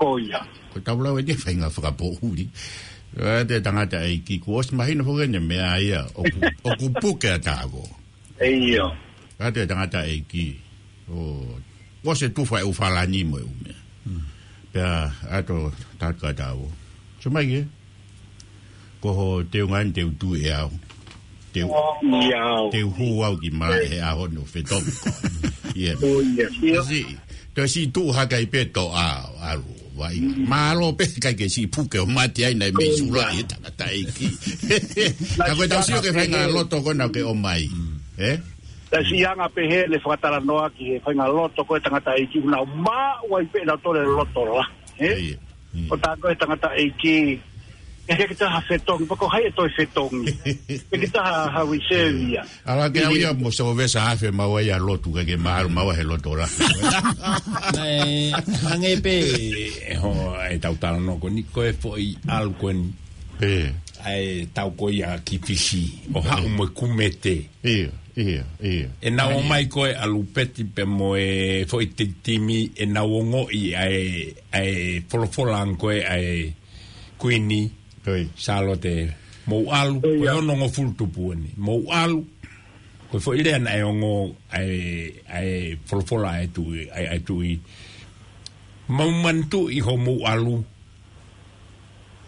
Ko ia. Ko e tau lau eni ʻe faʻahinga fakapoʻuli. ʻA e tangataʻeiki kuo ʻosi mahino foki ʻene meʻa ia ʻoku, ʻoku puke ʻa Tavo. ʻIo. ʻA e tangataʻeiki. ʻO, ʻosi tufa e ʻū falani mo e ʻū meʻa. Pea ʻalu ʻo tala kia Tavo. Sio mai ki hē. Ko hoʻo teunga eni te u tui ʻe au. Te u, ʻIo. Te u hū au ki malaʻe he ʻaho ni ʻo fetongi koe. ʻIo. ʻIo, ʻio. Siʻi, toe siʻi tuʻu hake ai pē toʻa ʻo ʻalu. Vai. Mālō pē ʻikai ke siʻi puke ʻo mate ai naʻe mei sula ʻi he tangataʻeiki. Ka ko e tau sio ki he faʻahinga loto ko ena ʻoku ke ʻomai. Ē? Naʻe siʻi anga pē heʻene fakatalanoa ki he faʻahinga loto ko ē ʻa e tangataʻeiki ʻoku nau maʻu ai pē ʻenau tole loto la. Ē? ʻIo, ʻio. ʻO tā ko ē ʻa e tangataʻeiki. ʻIkai ke taha fetongi, pea ko hai ʻe toe fetongi. ʻIkai ke taha ha reserve ia. ʻAlu ke au ia mo Sovesa afe maua ia lotu ke ke maʻu maua he loto la. Naʻe hangē pē, ʻe ho, ʻe tau talanoa ko eni ko e foʻi ʻalu ko eni. ʻE. ʻA e tau ko ia ki Fisi, ʻo haʻu mo e kumete. ʻIo, ʻio, ʻio. ʻEnau ʻomai ko ē ʻa Lupeti pea mo e foʻi ti-, timi, ʻenau ongoʻi ʻa e, ʻa e folofola ange ko ē ʻa e Kuini. Sālote, mou ʻalu, ko e onongofulu tupu eni. Mou ʻalu, ko e foʻi lea naʻe ongo, ʻa e, ʻa e folofola ʻa e tuʻi, ʻa e, ʻa e tuʻi. Mou manatuʻi hoʻomou ʻalu,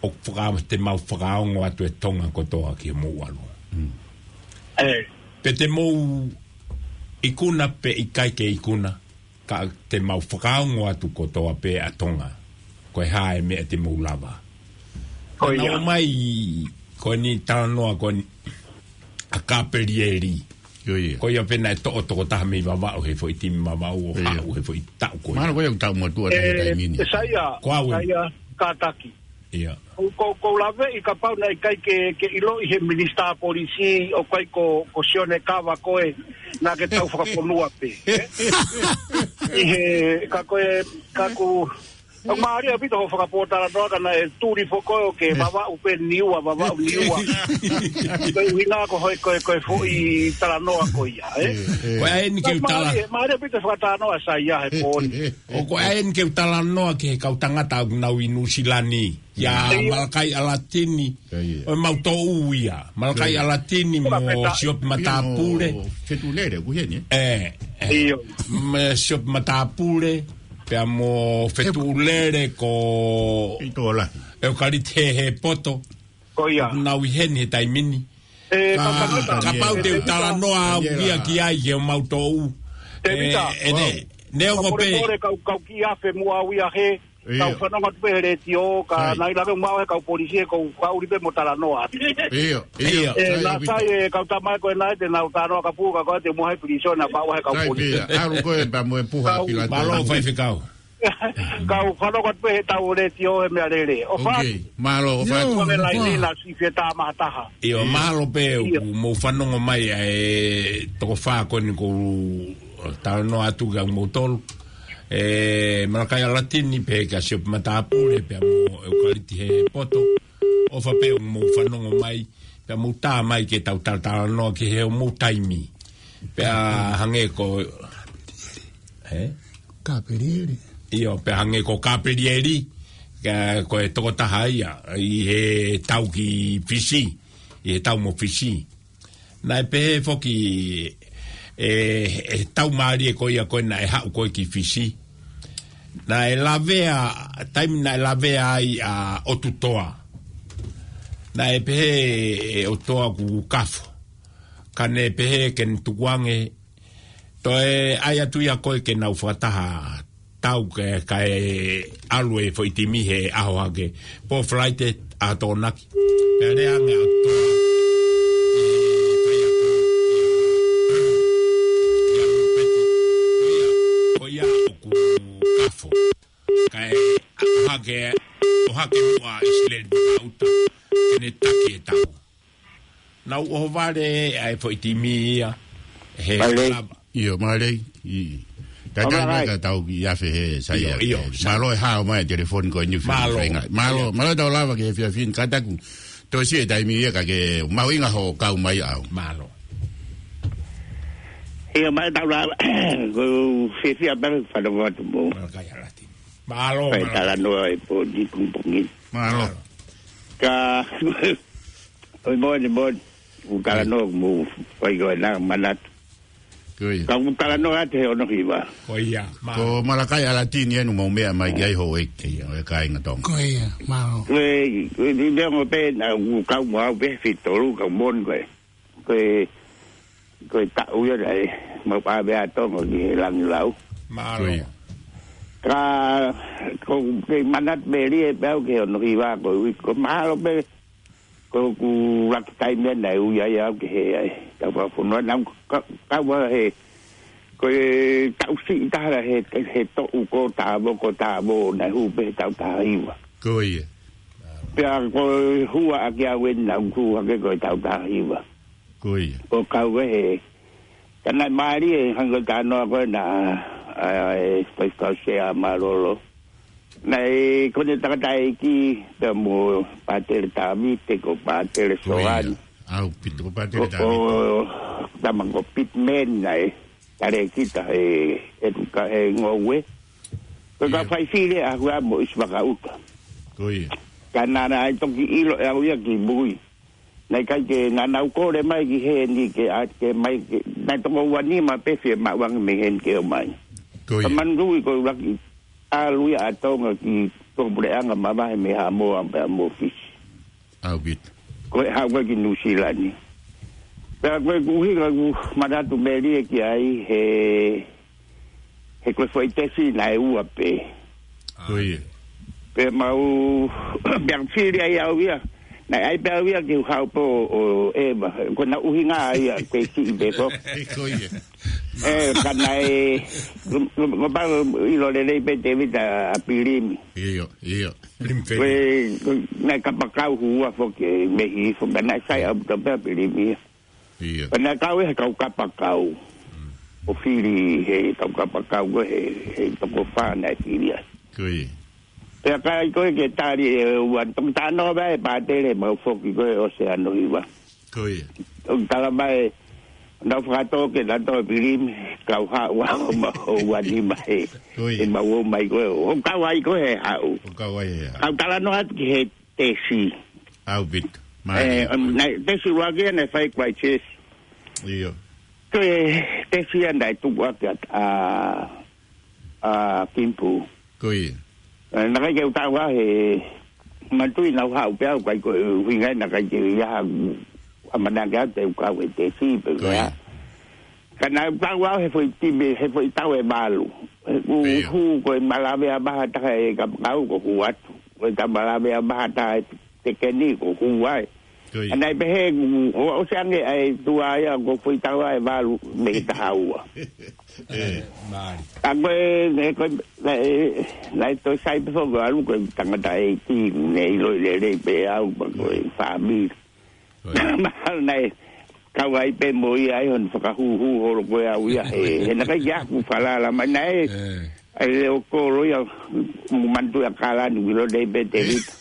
ʻoku faka-, te mau fakaongo atu e Tonga kotoa ki hoʻomou ʻalu. Pe te mou ikuna pe ʻikai ke ikuna, ka te mau fakaongo atu kotoa pē ʻa Tonga. Ko e hā e meʻa te mou lava. Ko ia. Naʻe ʻomai, ko eni talanoa, ko eni ʻa Kapelieli. Ko ia. Ko ia pē naʻe toʻo tokotaha mei Vavaʻu he foʻi timi Vavaʻu ʻo haʻu he foʻi taʻu ko ia. Mahalo ko ia ʻoku taʻu motuʻa taʻu taʻu mini. ʻE, Saia, ko au eni. Saia, kātaki. ʻIo. Ko, ko, ko u laveʻi kapau naʻe ʻikai ke, ke ʻiloʻi he minisitā polisi ʻoku ʻikai ko, ko Sione Kava ko ē naʻa ke tau fakafonua pē. ʻI he, ka ko e, ka ku, ka mālie ʻaupito hoʻo fakapotalanoa ka naʻe tuli foki ʻo ke Vavaʻu pē Niua, Vavaʻu Niua. Ko e ʻuhinga ko hoʻo, ko e, ko e foʻi talanoa ko ia, ē? Ko e ʻai eni ke u tala. Mālie, mālie ʻaupito fakatalanoa Saia he pō ni. ʻO ko e ʻai eni ke u talanoa ki he kau tangata ʻoku nau ʻi Nuʻusila ni. ʻIa Malakai ʻAlatini. ʻO e mau toʻu ia. Malakai ʻAlatini mo Siope Matāpule. Fetuʻulele, ʻoku heni, ē? ʻE, ʻe. Mo Siope Matāpule, pea mo Fetuʻulele ko ʻEukaliti Hehepoto. Ko ia. Nau ʻi heni he taimi ni. Ka, kapau te u talanoa au ia ki ai, ki homau toʻu. Tēvita. ʻE, ʻe, ne, neongo pē. Kau, kau kiʻi afe muʻa au ia he, kau fanongo atu pē he letiō, ka naʻe ʻikai lava ʻo maʻu he kau polisi he kau faʻuli pē mo talanoa atu. ʻIo, ʻio. ʻE, naʻa sai e kau tamai ko ē naʻe te nau talanoa ka puka ko ē te muʻa he pilīsone naʻa maʻu he kau polisi. ʻAlu ko ē pea mo e puha pilate. Mālō faifekau. Kau fanongo atu pē he tau letiō he meʻa lele. ʻOfa. Mālō, ʻofa. Ko e laini na si fie tā mahataha. ʻIo, mālō pē ʻoku mou fanongo mai ʻa e toko fā ko eni ʻoku ou talanoa atu kia moutolu. ʻE, Malakai ʻAlatini pea kia Siope Matāpule, pea mo ʻEukaliti Hehepoto. ʻOfa pē ʻoku mou fanongo mai, pea mou tā mai ke tau talatalanoa ki he ʻomou taimi. Pea hangē ko, ē? Kapelieli. ʻIo, pea hangē ko Kapelieli, ka, ko e tokotaha ia, ʻi he tau ki Fisi, ʻi he tau mo Fisi. Naʻe pehē foki, ʻe, ʻe tau mālie ko ia ko ē naʻe haʻu ko ē ki Fisi. Naʻe lavea, taimi naʻe lavea ai ʻa ʻOtutoa. Naʻe pehē ʻe ʻOtutoa kuo kafo. Ka ne pehē ke ne tukuange, toe ʻai atu ia ko ē ke nau fakataha tau ke, kae ʻalu e foʻi timi he ʻaho hake. Pō Falaite, ʻa Tokonaki. Pea lea ange ʻa ʻOtutoa. ʻE, kai atu. ʻIa, ʻia, ʻia, ʻia, ʻia. Kae ʻohake, ʻohake muʻa ʻIsileli Vakauta ke ne taki e tau. Naʻa ku ʻohovale ʻa e foʻi timi ia he Mālō. Lava. ʻIo, mālō. ʻIo. Ka Mālō, tau mai hai. Ka tau ki afe he sai ʻIo, ʻio, sai. Mālō e hao mai telefoni ko eni Mālō. Mālō, mālō tau lava ki he fiafin kataku. Tosi e taimi ia ka ke mahuʻinga hoʻo kau mai au. Mālō. ʻIo, mālō tau lava. Ko fiafia pale whanau atu mo. Mālō kai alati. Mālō, Kai mālō. Talanoa e pō ni kumpungi. Mālō. Ka, oi mōni, mōni. U talanoa mo, kai ko e nā manatu. Ko ia. Ka u talanoa atu he ono hiva. Ko ia, mālō. Ko Malakai Alatini enu mau meʻa mai ki ai ho eke, ʻo e kāinga Tonga. Ko ia, mālō. Ko e, ko e, ni neongo pē naʻa ku kau mo au pē fitolu, kau mōni ko e. Ko e, ko e taʻu ia naʻe, mau pāvea Tonga ki he langi lau. Mālō. Ko ia. Ka, ko ke manatu melie pē au ki he ono hiva ko e ui, ko mālō pē, ko ku laki taimi naʻe ui ai au ki he ai. Tau whafunua nau ka, ka wa he, ko e taʻu siʻi taha he, he toʻu ko tāvo, ko tāvo, naʻe hū pē he taʻu taha hiva. Ko ia. Pea ko e hua ake au eni naʻa ku hake ko e taʻu taha hiva. Ko ia. Ko kau e he. Ka naʻe mālie hangē ko e talanoa ko ē naʻa, ʻa, e, faifekau Sea Malolo. Naʻe ko eni tangataʻeiki pea mo Pātele Tavite ko Pātele Ko ia. Soani. ʻAupito ko Pātele Ko, Tavite. ʻO, tama ko Pitman naʻe. Tale kita he, he tuka he ngoue. Ko ka Ia. Fai file a hua mo ʻIsi Vakauta. Ko ia. Ka naʻa naʻe toki ʻilo ʻe au ia ki mui. Naʻe ʻikai ke naʻa nau kole mai ki heni ke a, ke mai ke, naʻe toko ua nima pē fie maʻu ange mei heni ke ō mai. Ko ia. Ka manui ko laki ʻalu ia ʻa Tonga ki tō puleʻanga mavahe mei Haʻamoa pea mo Fisi. ʻAupito. Ko e haʻu ko ē ki Nuʻusila ni. Pea ko e kuhi ka ku manatu melie ki ai he, he ko e foʻi tesi naʻe ua pē. Ko ia. Pea mau, pea fili ai au ia. Naʻe ʻai pē au ia ki Haʻupo ʻo Eva. Ko na ʻuhinga ia, ko e siʻi pē ko. Ko ia. E, ka naʻe, ko, ko, ko pau ʻilo lelei pē Tevita ʻa Pilimi. ʻIo, ʻio. Pilimi Ko e, Feli. Ko e, naʻe kapakau hua foki e mehi foki, naʻe sai au ta pē ʻa Pilimi ia. ʻIo. Ka naʻe kau e he kau kapakau. Mm. ʻO fili he kau kapakau ko e he, he toko fā naʻe fili ai. Ko ia. Pea ka ʻai ko e ke tali e ua, toki talanoa pē ʻa e Pātele mau foki ko e ʻo se ano hiva. Ko ia. ʻO tala mai, nau fakatō ke na tō Pilimi, kau haʻu au ma ua nima he. Ko ia. ʻE mau ō mai ko e, ʻo kau ai ko e haʻu. ʻO kau ai he haʻu. Kau talanoa atu ki he tesi. ʻAupito. E, Mālie. Um, naʻe tesi ua ke naʻe fai Christchurch. ʻIo. Ko e tesi ia naʻe tuku ake ʻa, ʻa, ʻa Kimpu. Ko ia. E, naʻe ʻikai ke u taʻu he manatuʻi naʻa ku haʻu pē au kai ko e ʻuhinga naʻe ʻikai ke ia ha ʻamanaki au te u kau he tesi pē Ko ia. Ka naʻa ku taʻu au he foʻi timi, he foʻi taʻu ʻe valu. He ku Ko ia. Hū ko e malavea maha taha e kapakau ko hū atu. Ko e ka malavea maha taha e tekeni ko hū ai. Ko ia. ʻA naʻe pehē, ʻo, ʻosi ange ʻa e tuʻa ia ko foʻi taʻu ʻe valu mei taha ua. E. Mālie. Ka ko e, e, ko e, naʻe, naʻe toe sai pē foki ʻalu ko e tangataʻeiki, ne ʻilo lelei pē au, pea ko e fāmili. Ko ia. Mahalo naʻe, kau ai pē mo ia ai, hon fakahūhū holo ko e au ia, he, he naʻe ʻikai ke aku falala, mai naʻe, E. ʻAi leo kolo ia, mo manatuʻi ʻa Kalani, ʻilo lelei pē Tevita.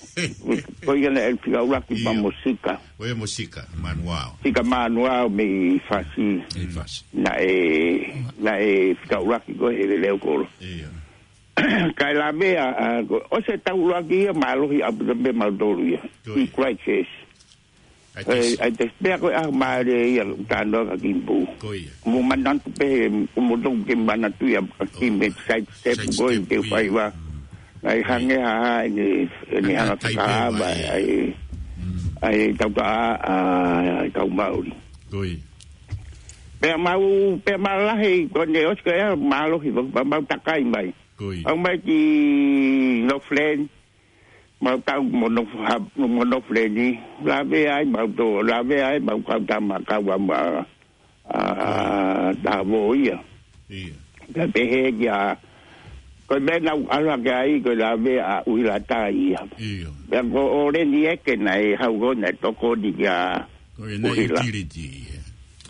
Ko ia naʻe fika ʻuluaki pea Ia. Mo Sika. Ko ia mo Sika, Manuao. Sika Manuao mei Fasi. Mei Fasi. Naʻe, naʻe fika ʻuluaki ko e he leo kolo. Ia. Kae lavea, a, ko, ʻosi e taʻu ʻuluaki ia, mālohi ʻaupito pē mautolu ia. Ko ia. ʻI Christchurch. ʻAi E, tesi. ʻAi tesi pea ko e ʻaho mālie ia, talanoa kia Kimpu. Ko ia. Mo manatu pē, mo toki ke manatuʻi ʻa, ʻa Kimpu, Oh. Side step Side ko e step ke ko ia. Fai vā. Mm. ʻAi hangē ha, ha, ʻene, ʻene Hangē hanga ha taipei fakaava, vai. ʻAi, Mm. ʻAi tauta a, a, ʻai kau Maori. Ko ia. Pea mau, pea mau lahi, ko ʻene ʻosi ko ia, mālohi, pea mau takai mai. Ko ia. Au mai ki Northland, Mau tau mo no ha, mo no freni. Lavea ai, mau tō, lavea ai, mau kau tama kau a ma, a, tavo ia. Ia. Ka pehē kia, Ko e meʻa naʻa ku ʻalu hake ai, ko e lavea ʻa ʻUhila Taia. ʻIo. Pea ko ʻOleni Eke naʻe haʻu ko ē naʻe tokoni kia Ko e naʻe ʻUhila. Utility, ē.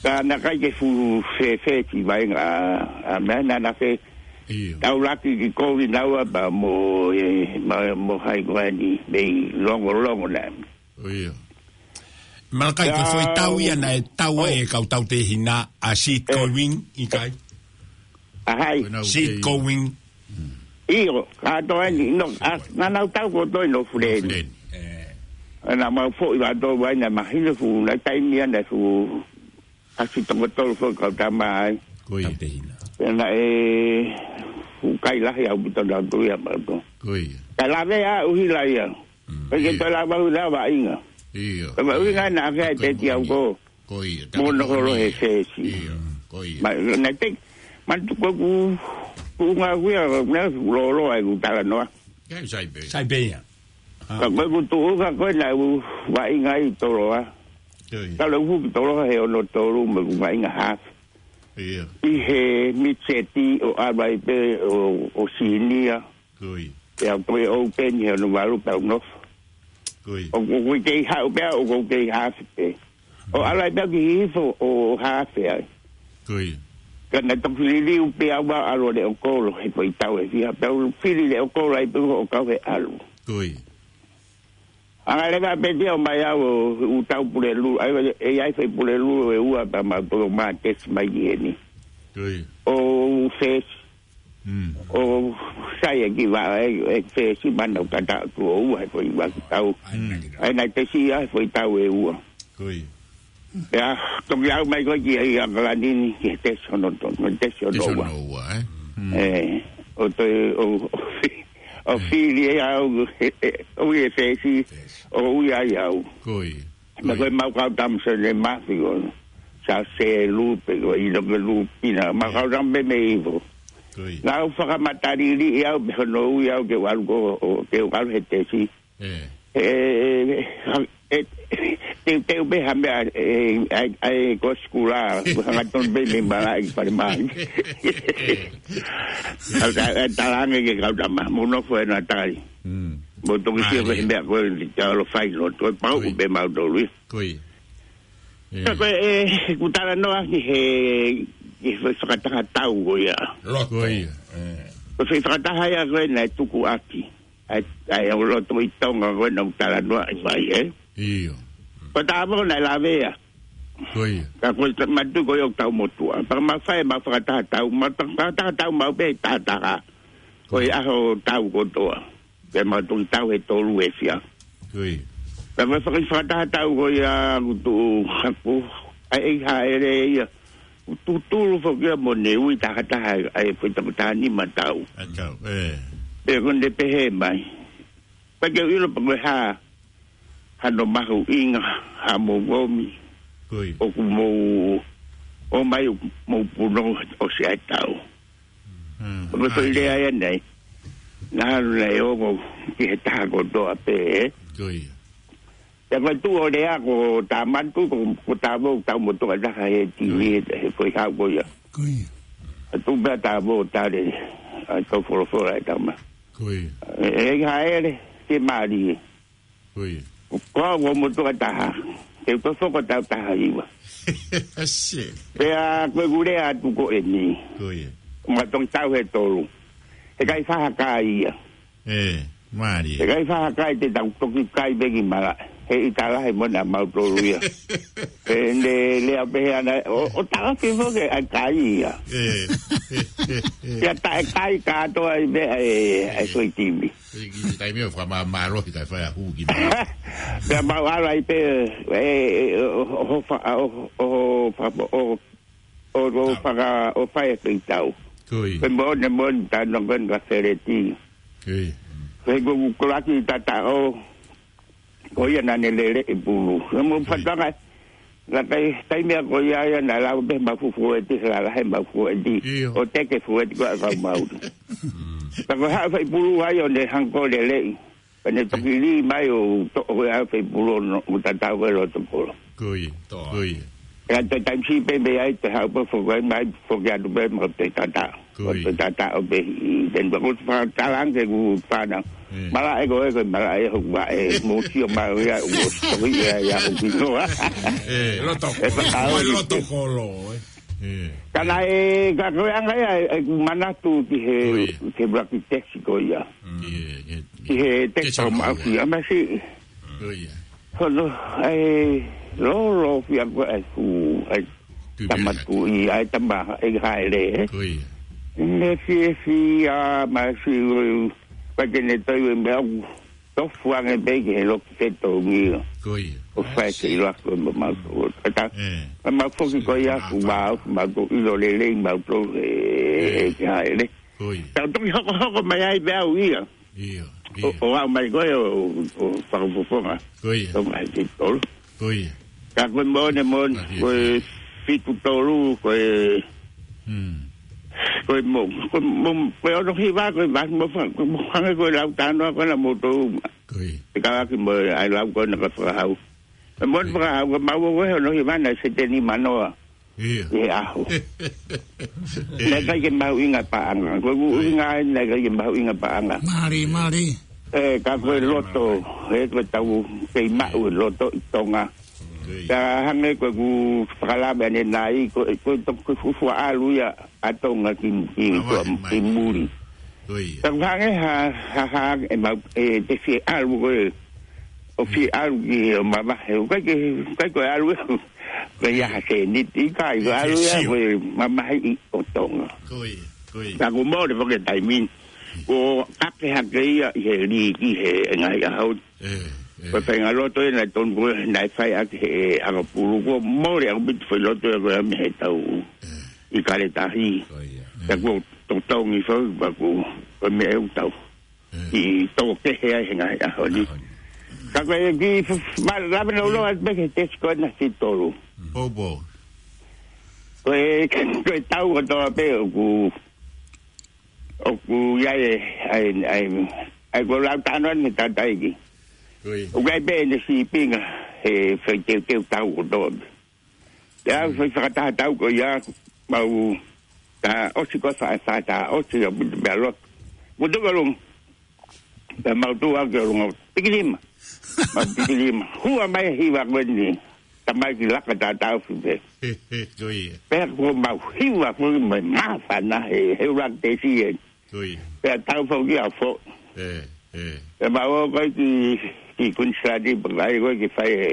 Ka naʻe ʻikai ke fuʻu fēfē ki vaenga ʻa, ʻa meʻa naʻa na fē. ʻIo. Taulaki ki kovi naua pea mo e, mo, mo hai ko eni, mei longolongo na. ʻIo. Malakai, ko e foʻi tau ia naʻe tau ai e kau tautehina ʻa Seed Going, ʻikai? ʻA hai? Ko e nau Seed kei Going. ʻIo, kātoa eni, no, a, naʻa nau tau kotoa ʻi Nōfuleni. Nōfuleni. ʻE. Naʻa mau foʻi vātoa vai naʻe mahino fuʻu, naʻe taimi ia naʻe fuʻu kasi toko tolu foʻi kau tama ai. Ko ia. Tautehina. Pea naʻe fuʻu kai lahi ʻaupito nautolu ia mautolu. Ko ia. Ka lavea ʻa ʻUhila ia. Mm. Pea ke Ia. Toe lava ʻUhila vaʻinga. Ia. Pea vaʻinga naʻa ke ai Ko ia, peti au ko ia. Ko ia, Mo tapu no holo he ia. Fesi. Ia, ko ia. Ma, na te, ma tu ko ku, ku nga ku ia, na ku lolo ai ku talanoa. Ia, sai pē. Sai pē ia. Ah. Ka ko ku tu ka ko na u vaʻinga ʻi Toloa. Ko ia. Ka lo ku ki Toloa he ono tolu mo ku vaʻinga hafe. Ia. ʻI he mitseti ʻo ʻalu ai pē ʻo, ʻo sinia. Ko ia. Pea ko e open he ono valu pea u nofo. Ko ia. ʻO, ʻo, ʻoku kei haʻu pea, ʻoku kei hafe pē. ʻO ʻalu ai pea ki hifo ʻo hafe ai. Ko ia. Ka naʻe toki liliu pea ua ʻalu ʻo leʻo kolo, he foʻi tau ʻe fiha. Pea u fili leʻo kolo ai pē ʻo kau he ʻalu. Ko ia. Anga leva pē tia ʻo mai au ʻo u tau Pulelulu. ʻAi, ʻe ʻi ai foʻi Pulelulu ʻe ua pea mau toko mā tesi mai ki heni. Ko ia. ʻO fesi. Mm. ʻO sai e ki va, e, e fesi mana u kata tu ʻo ua he foʻi ua ki tau. Mm. ʻAi naʻe tesi ia he foʻi tau ʻe ua. Ko ia. Pea, toki au mai ko ē ki ai ʻAokalani ni ki he tesi ono to, tesi ono Tesi ua. ono ua, ē? Mm. ʻE, ʻo toe, ʻo, ʻo fi-, ʻo fili e au, e, e, ʻo ui e fesi, Fesi. ʻo ui ai au. Ko ia. Na Ko ia. ko e mau kau tama Sene Mafi ko, sa se lupe ko, ʻi loke lupina, mau Ia. kau tama me me ivo. Ko ia. Ngau fakamatalili ʻi au, pe hono ui au ke u ʻalu ko, ʻo, ke u ʻalu he tesi. ʻE. ʻE, ʻe, ʻe, te, te u pehē ha meʻa, ʻe, ʻai, ʻai, ko sikula, hangatonu pē mei malaʻe ki fale mai. ʻE. ʻA, ʻa, ʻa, talange ke kau tama, mo nofo ʻena tali. Mm. Mo toki sio Mālie. pē he meʻa ko e, te alo fai lo, ko e pau Ko ia. pē mau tolu ia. Ko ia. ʻE. Ka ko e, ʻe, ku talanoa ki he, ki he fakataha tau ko ia. Loto. Ko ia. ʻE. Ko e fakataha ia ko ē naʻe tuku ʻaki. ʻAi, ʻai, ʻo loto ʻi Tonga ko ē naʻa ku talanoa ʻi fai, ē? ʻIo. Ko Tavao naʻe lavea. Ko ia. Ka ko e ta-, matu ko ē ʻo tau motuʻa. Pea mau fai, mau fakataha tau, mau ta-, fakataha tau mau pē taha taha. Ko e ʻaho tau kotoa. Pea mau toki tau he tolu ʻe fiha. Ko ia. Pea mau faka-, fakataha tau ko ia ku tuʻu haku. ʻAi, ʻe haʻele ia. Tutulu foki ia mo ne ui taha taha ʻa e foʻi toko taha nima tau. ʻA tau, ʻe. Pea ko ne pehē mai. Pea ke u ʻilo pe ko e hā hano mahuʻinga, ha mou ʻomi. Ko ia. ʻOku mou ʻomai ʻoku mou punou ʻosi ʻa e tau. Mm. Ko e foʻi Ah, lea ia. ia nei. Naʻa ne ongo ki he taha kotoa pē, ē? Ko ia. Pea ko e tuʻu ʻo lea ko Tamatu, ko, ko Tavao, tau motuʻa taha he timi, Ko ia. he, he foʻi hau ko ia. Ko ia. ʻA tuʻu pē ʻa Tavao ʻo tali, ʻa e kau folofola ʻe tama. Ko ia. ʻE, ʻe haʻele, ke mālie. Ko ia. Ko au ko motuʻa taha. Ke u toki hoko tau taha hiva. Shit. Pea ko e ku lea atu ko eni. Ko ia. Ma toki tau he tolu. He ʻikai faha kai ia. ʻE, mālie. He ʻikai faha kai te tau toki kai pē ki malaʻe. He ʻita lahi mo naʻa mau tolu ia. He ne lea pehē ʻana, ʻo, ʻo taʻofi foki ʻa e kai ia. ʻE. Ia taʻe kai kātoa ai pē ʻa e, ʻa e foʻi timi. ʻE, ki he taimi ʻo fakamāmālohi kae fai ʻa hū ki malaʻe. Pea mau ʻalu ai pē, ʻe, ʻe, ʻo, ʻo, fa-, ʻo, ʻo, fa-, ʻo, ʻo, ʻo Tau. faka-, ʻo fai e foʻi tau. Ko ia. Pea mo ne mo ne tano ko ne ka feleti. Ko ia. Pea ko ku kolaki tata ʻo, ko ia naʻa ne lele ʻi pulu. Pea mo Ko ia. fatanga, la kai, taimi ʻa ko ia ia naʻa lau pē mau fufueti, he lalahi mau fueti. ʻIo. ʻO teke fueti ko ʻa kau mau. Mm. Pea ko e haʻu fai pulu ai ʻo ne hangē ko e leleʻi. Pea ne toki lī mai ʻo toʻo ko e ʻa e fai pulu ʻo tatau ko e loto kolo. Ko ia, Toa. ko ia. Ka te taimi siʻi pē mei ai te haʻu pē foki mai, foki atu pē mo te tata. Ko ia. Mo te tata ʻo pē i te nua ko te fakatalanga ke ku fana. Ē. Malaʻe ko e, ko e malaʻe hoku vaʻe, mo sio mai ia, mo sio ia, ia hoku noa. Ē, loto. E fakahau Ko e ki loto te. kolo, ē. Ē. Ka naʻe, ka ko e anga ia, e, e manatu ki he, Ko ia. ki he ʻuluaki tesi ko ia. Mm. Ē, ē, ē. Ki he tesi Tesi ko ko ia. maʻu ia, masi. Ko ia. Hono, ai, lolo fia ko ai fu, ai, Tui tama pere. tu i, ai, tama, e haere, ē. Ko ia. Ne fie fia, ma si, ui, pa ke ne toi, ui, mea, u, tofu ange pe ke he loki feto ngi. Ko ia. O fai ke i lako, ma, ma, ko, ta, Ē. ma, ma foki ko ia, Ē, fu, ma, ma, ko, i lo lelei, ma, to, e, Ē. e, ke haere. Ko ia. Tau toki hoko, hoko mai ai, pe au ia. Ia, O, ia. o au mai ko e, o, o, fakafofonga. Ko ia. Tonga he titolo. Ko ia. Ka ko e mone, mone, Ka ia. ko e fitu tolu, ko e, Hmm. ko e mo, ko e mo, ko e ono hiva, ko e vasi mo fa, ko e mo hanga ko e lau tanoa ko e na mo tō uma. Ko ia. Te ka aki mo e ai lau ko e na ka fakahau. E mone Ko ia. fakahau, ko e mau ko e ono hiva na se teni manoa. Ia. Ia aho. Ia. Naʻe ʻikai ke mahuʻinga paʻanga. Ko e Ia. ʻuhinga ai naʻe ʻikai ke mahuʻinga paʻanga. Mali, mali. Ē, ka ko e Mali, loto, mali. ē, ko e tau kei maʻu e loto ʻi Tonga. Ia. Ka hangē ko e ku fakalave ane nai, ko, ko e toki fufua ʻalu ia ʻa Tonga ki, ki, Hawaii, ki mai. muli. Ko ia. Ka ko hangē ha, ha, ha, e mau, e te fie ʻalu ko e, ʻo fie ʻalu ki he mamahi, ʻikai ke, ʻikai ko e ʻalu e, ko e ia ha seniti, ʻikai ko e ʻalu ia, Sio. ko e mamahi ʻi ʻo Tonga. Ko ia, ko ia. Ka ko mole foki e taimi ni, ko kake hake ia ʻi he liki he ngaahi ʻaho. Ē, ē. Ko e faʻahinga loto ē naʻe tonu ko e, naʻe fai ʻaki he anga pulu, ko mole ʻaupito foʻi loto ē ko e ame he tau Ē. ʻi Kaletahi. Ko ia. Ka ko totongi foki, pa ko, ko e meʻa ʻe ʻū tau. Ē. ʻi tō kehe ai he ngaahi ʻaho ni. ʻAho ni. Ka ko e ki f-, f-, ma-, lave na ulo atu pē ke tesi ko e na si tolu. Pou, pou. Ko e, ko e tau kotoa pē ʻoku, ʻoku ʻi ai e, ai, ai, ai ko lau tano ni tataiki. Ko ia. ʻOku ʻi ai pē ʻene sīpinga he fai teuteu tau kotoa pē. Pea fai fakataha tau ko ia, mau tā ʻosi ko e fa-, fa-, tā ʻosi ia, putu pea lotu. Putu ka lung. Pea mau tū au ke o lunga. Piki lima. Mau piki lima. Hua mai hiva ko eni. Tamai ki laka tā tau fi pē. Ko ia. Pea ko mau hiva ko eni mai māfana he, he ʻuluaki tesi ē. Ko ia. Pea tau fau ki a fo. Ē, ē. Pea mau ō ko e ki, ki Kuinisilani, pea kai ko e ki fai ē.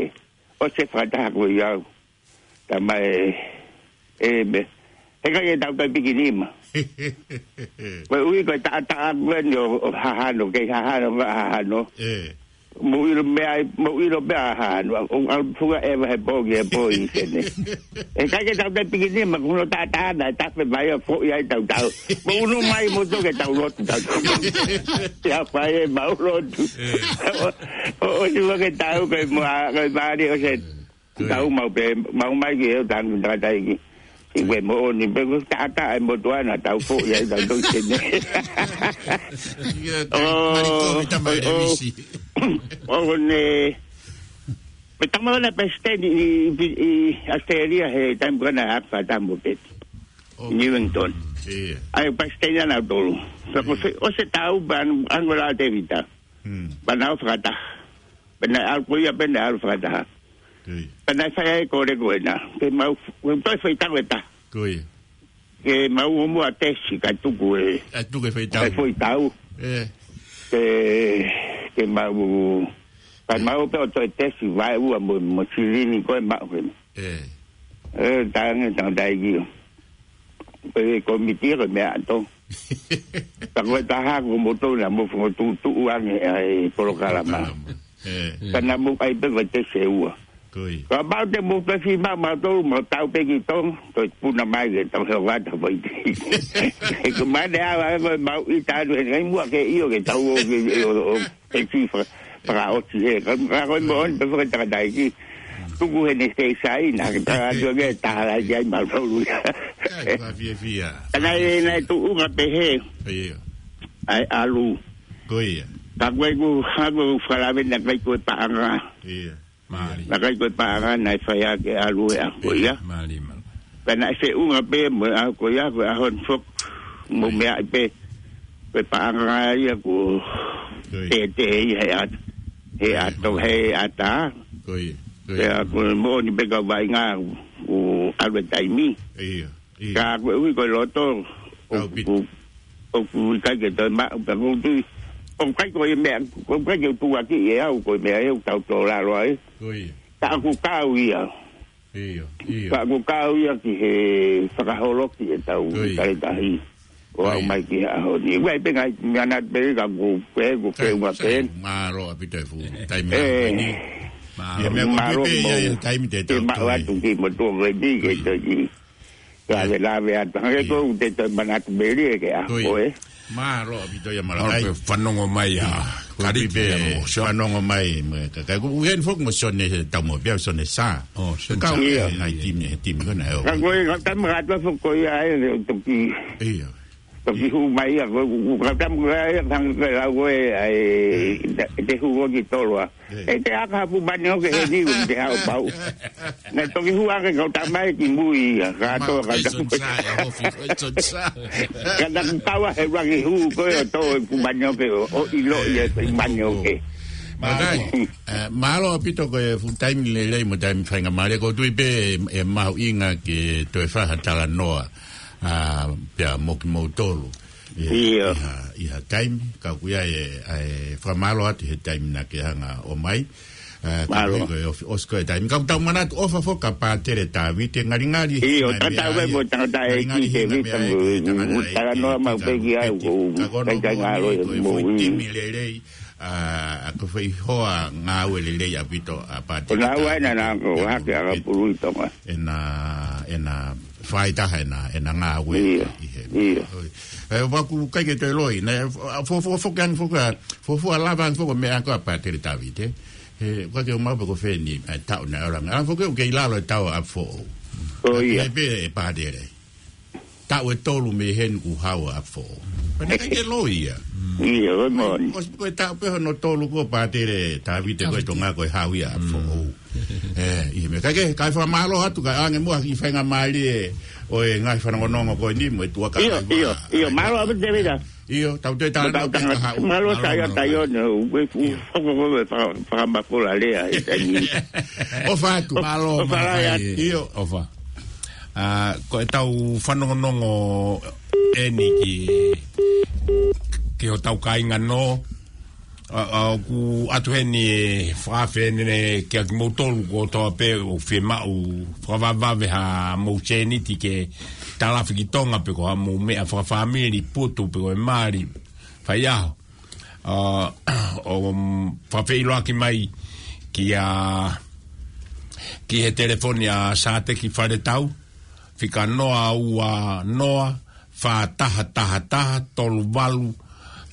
ʻOsi e fakataha ko ia. Tamai, ē, me, he ʻikai ke tau kai piki nima. Ko e ui ko e taʻataʻa ko eni ʻo, ʻo hahano, kei hahano, ka hahano. Ē. Mo ʻilo meʻa, mo ʻilo meʻa hahano. ʻO, ʻo, ʻo, funga ʻeva he pō ki he pō ʻi sene. He ʻikai ke tau kai piki nima, ko hono taʻataʻa na, tafe mai ʻo foʻi ai tau tau. Mo unu mai mo toke tau lotu, tau tau. Ia fai e mau lotu. Ē. ʻO, ʻo, ʻosi mo ke tau, ko e mo a, ko e mali ʻo se Ko ia. Tau mau pē, mau mai ki he tangi tataiki. Ki he moʻoni pē ko e taʻataʻa e motuʻa na tau foʻi ai tau tau sene. Ia, ʻO, mali ko mi tama ʻo, e ʻo, visi. ʻO ne, pē tama na palesiteni ʻi, ʻi, ʻi Australia he taimi ko ena ʻa Fata mo Peti. ʻO. Newington. Ia. ʻAi palesiteni ana tolu. Ka ko Ia. se, ʻo se tau pan Angola Tevita. Hmm. Pana o fakataha. Pea naʻe ʻalu ko ia, pea naʻe ʻalu fakataha. Ui. Pea naʻe fai ai ko e kole ko ena. Ke mau, ke toe fai tau e taha. Ko ia. Ke mau o mua tesi ka tuku e. Ka tuku e fai tau. Ka fai tau. Ē. Ke, ke mau, ka mau pē ʻo toe tesi vaeua mo, mo silini ko e mau hena. Ē. Ē, tangi, tangi taiki. Ko e komiti ko e meʻa ʻato. Ka ko e taha ko moutolu naʻa mou fokotuʻutuʻu ange ʻa e polokalama. Polokalama. Ē. Ka naʻa mou ʻai pē ko e tesi ʻe ua. Ko ia. Ka mau te mou pē fi ma, mautolu, mau tau pē ki Tonga, ko e puna mai ke tau he vata vai te. He ko mane ava ko e mau ʻita atu he ngai mua ke ʻio ke tau ō ke ʻio ʻo Peti fa-, fakaʻosi he. Ka, ka ko e moʻoni pē fakatakataiki. Tuku he ne sei sai na, ka tuku ke taha lai ai mautolu ia. Kai, ka fiefia. Ka naʻe, naʻe tuʻunga pehē. Ia. ʻAi ʻalu. Ko ia. Ka ko e ku, ka ko e ku fakalave naʻe ʻikai ko e paʻanga. Ia. Mālie. Naʻe ʻikai ko e paʻanga naʻe fai ʻaki e ʻalu e ʻaho ko ia. Mālie, mālie. Pea naʻe feʻunga pē mo e ʻaho ko ia, ko e ʻaho ni foki. Mo meʻa pē. Ko e paʻanga ia ko e tētē ia he ʻat-, he ʻato, he ʻatā. Ko ia, ko ia. Pea ko e moʻoni pē ka vaʻinga ʻo ʻalu e taimi. Ia, ia. Ka ko e ui ko e loto, ʻoku, ʻoku ʻikai ke toe maʻu, pea ʻoku ou tui. ʻOku ʻikai ko e meʻa, ʻoku ʻikai ke u tuʻuaki ʻe au, ko e meʻa ʻe au tau tō lalo ai. Ko ia. Ka ʻoku kau ia. Ia, ia. Ka ʻoku kau ia ki he fakaholoki e tau tali tahi. ʻO aʻu mai ki he ʻaho ni. Ua i penga i meana pē ka ʻoku pē, ʻoku pē, ua pē. Mālō ʻaupito e fuʻu taimi ko eni. Mālō. Ia meʻa ko ʻeku pē ia mo e taimi te tau maʻu atu ki mo tuʻu ko eni ke tau ki. Ka ve la ve atu. Hangē ko te tau manatu meli e ke a ko e. Mālō ʻaupito ia Malakai. Mālō pē fanongo mai a. Kalite pē fanongo mai mo e kakai. Ko ʻuhen foki mo Sone he tau mo pia Sone sa. Ka ʻuhen ngai timi, he timi ko na e o. Ka ko e ka tama ka tua foki ko ia e toki. Ia. Toki hu mai ia ko ka tama ko ia tang ke lau ko e ai te hu ko ki toloa. E te aka pu mani o ke he ni te hao pau. Na toki hu ake kau tama e ki mui ia. Ka to ka tama. Ka na ku kaua he rangi hu ko e o to e pu mani o ke o ilo ia e pu mani o ke. Malakai, mālō ʻaupito ko e fuʻu taimi lelei mo taimi faingamālie ko tui pē e mahuʻinga ke toe fai ha talanoa. Pea mo kimoutolu. ʻI ha, ʻi ha taimi, ka ʻoku ʻi ai e, ʻa e fakamālō atu he taimi naʻa ke hanga ʻo mai. Ka ʻoku ʻi ai ko e ʻosi ko e taimi. Ka ʻoku tau manatu ʻofa foki kia Pātele Tavite, ngalingali. ʻIo, tatau ai mo tangata e ki te vita mo talanoa mau pē ki ai ko u kai kai ngalo e mo i. Timi lelei, ʻa ko fai hoa ngāue lelei ʻaupito ʻa Pātele Tavite. Ko nā ua ena nā ko hake ʻa ka pulu ʻi Tonga. ʻEna, ʻena faitaha ʻena, ʻena ngāue ʻi he. ʻIo. E, ʻoku ʻikai ke toe loi, na, fo, fo, fo, ke ang fo, ka, fo, fo, lava ang fo, meʻa ko ʻa Pātele Tavite. He, ʻoku ke ʻomai pē ko fē ni, e, taʻu na, ora, ang fo, ke, ke ʻi lalo e taʻu ʻa fo. ʻIo. Pē, pē, e Pātele. Taʻu ʻe tolu mei heni kuo hau ʻa fo. Pea naʻe ʻikai ke loi ia. ʻIo, ʻoku moʻoni. ʻOsi ko e taʻu pē hono tolu ko Pātele Tavite ko e Tonga ko e hau ia ʻa fo. ʻE, ʻi he meʻa. Kae ke, kae fakamālō atu, kae ʻange muʻa ki he faingamālie ʻo e ngaahi fanongonongo ko eni mo e tuʻa ka. ʻIo, ʻio, ʻio, mālō ʻaupito Tēvita. ʻIo, tau te talanoa pē ka haʻu. Mālō Saia Taione, ʻoku ke fuʻu hoko ko e faka-, fakamafola lea he taimi. ʻOfa atu. Mālō, ʻofa lahi atu. ʻIo, ʻofa. ʻA, ko e tau fanongonongo eni ki, ki hotau kāinga nō, ʻa, ʻa, ʻoku ʻatu heni e fakaafe eni kia kimoutolu kotoa pē ʻoku fiemaʻu fakavavevave ha mou sēniti ke talafi ki Tonga pe ko ha mou meʻa fakafāmili putu pe ko e mali faiʻaho. ʻA, ʻo, mm, fakafeʻiloaki mai kia, ki he telefoni ʻa Sāteki Faletau, fika noa ua noa, fā taha taha taha, tolu valu,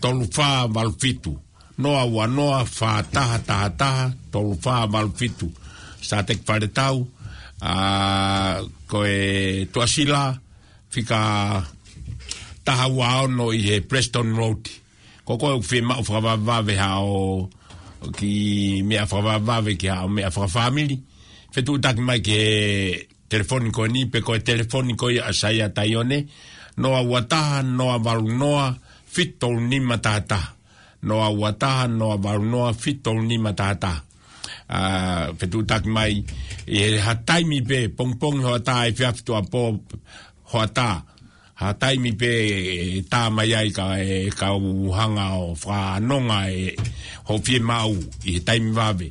tolu fā valu fitu. Noa ua noa, fā taha taha taha, tolu fā valu fitu. Sāteki Faletau, ʻa, ko e Tuʻasila, fika taha ua ono ʻi he Preston Road. Ko koe ʻoku fiemaʻu fakavavevave haʻo kiʻi meʻa fakavavevave ki haʻo meʻa fakafāmili. Fetuʻutaki mai ki he telefoni ko eni pe ko e telefoni ko ia ʻa Saia Taione, noa ua taha, noa valu noa, fitu tolu nima taha taha. Noa ua taha, noa valu noa, fitu tolu nima taha taha. ʻA, fetuʻutaki mai, ʻi he ha taimi pē, pongipongi hoʻatā, efiafi tuʻuapō hoʻatā. Ha taimi pē ʻe tā mai ai ka e kau hanga ʻo fakanonga e hoʻo fiemaʻu ʻi he taimi vave.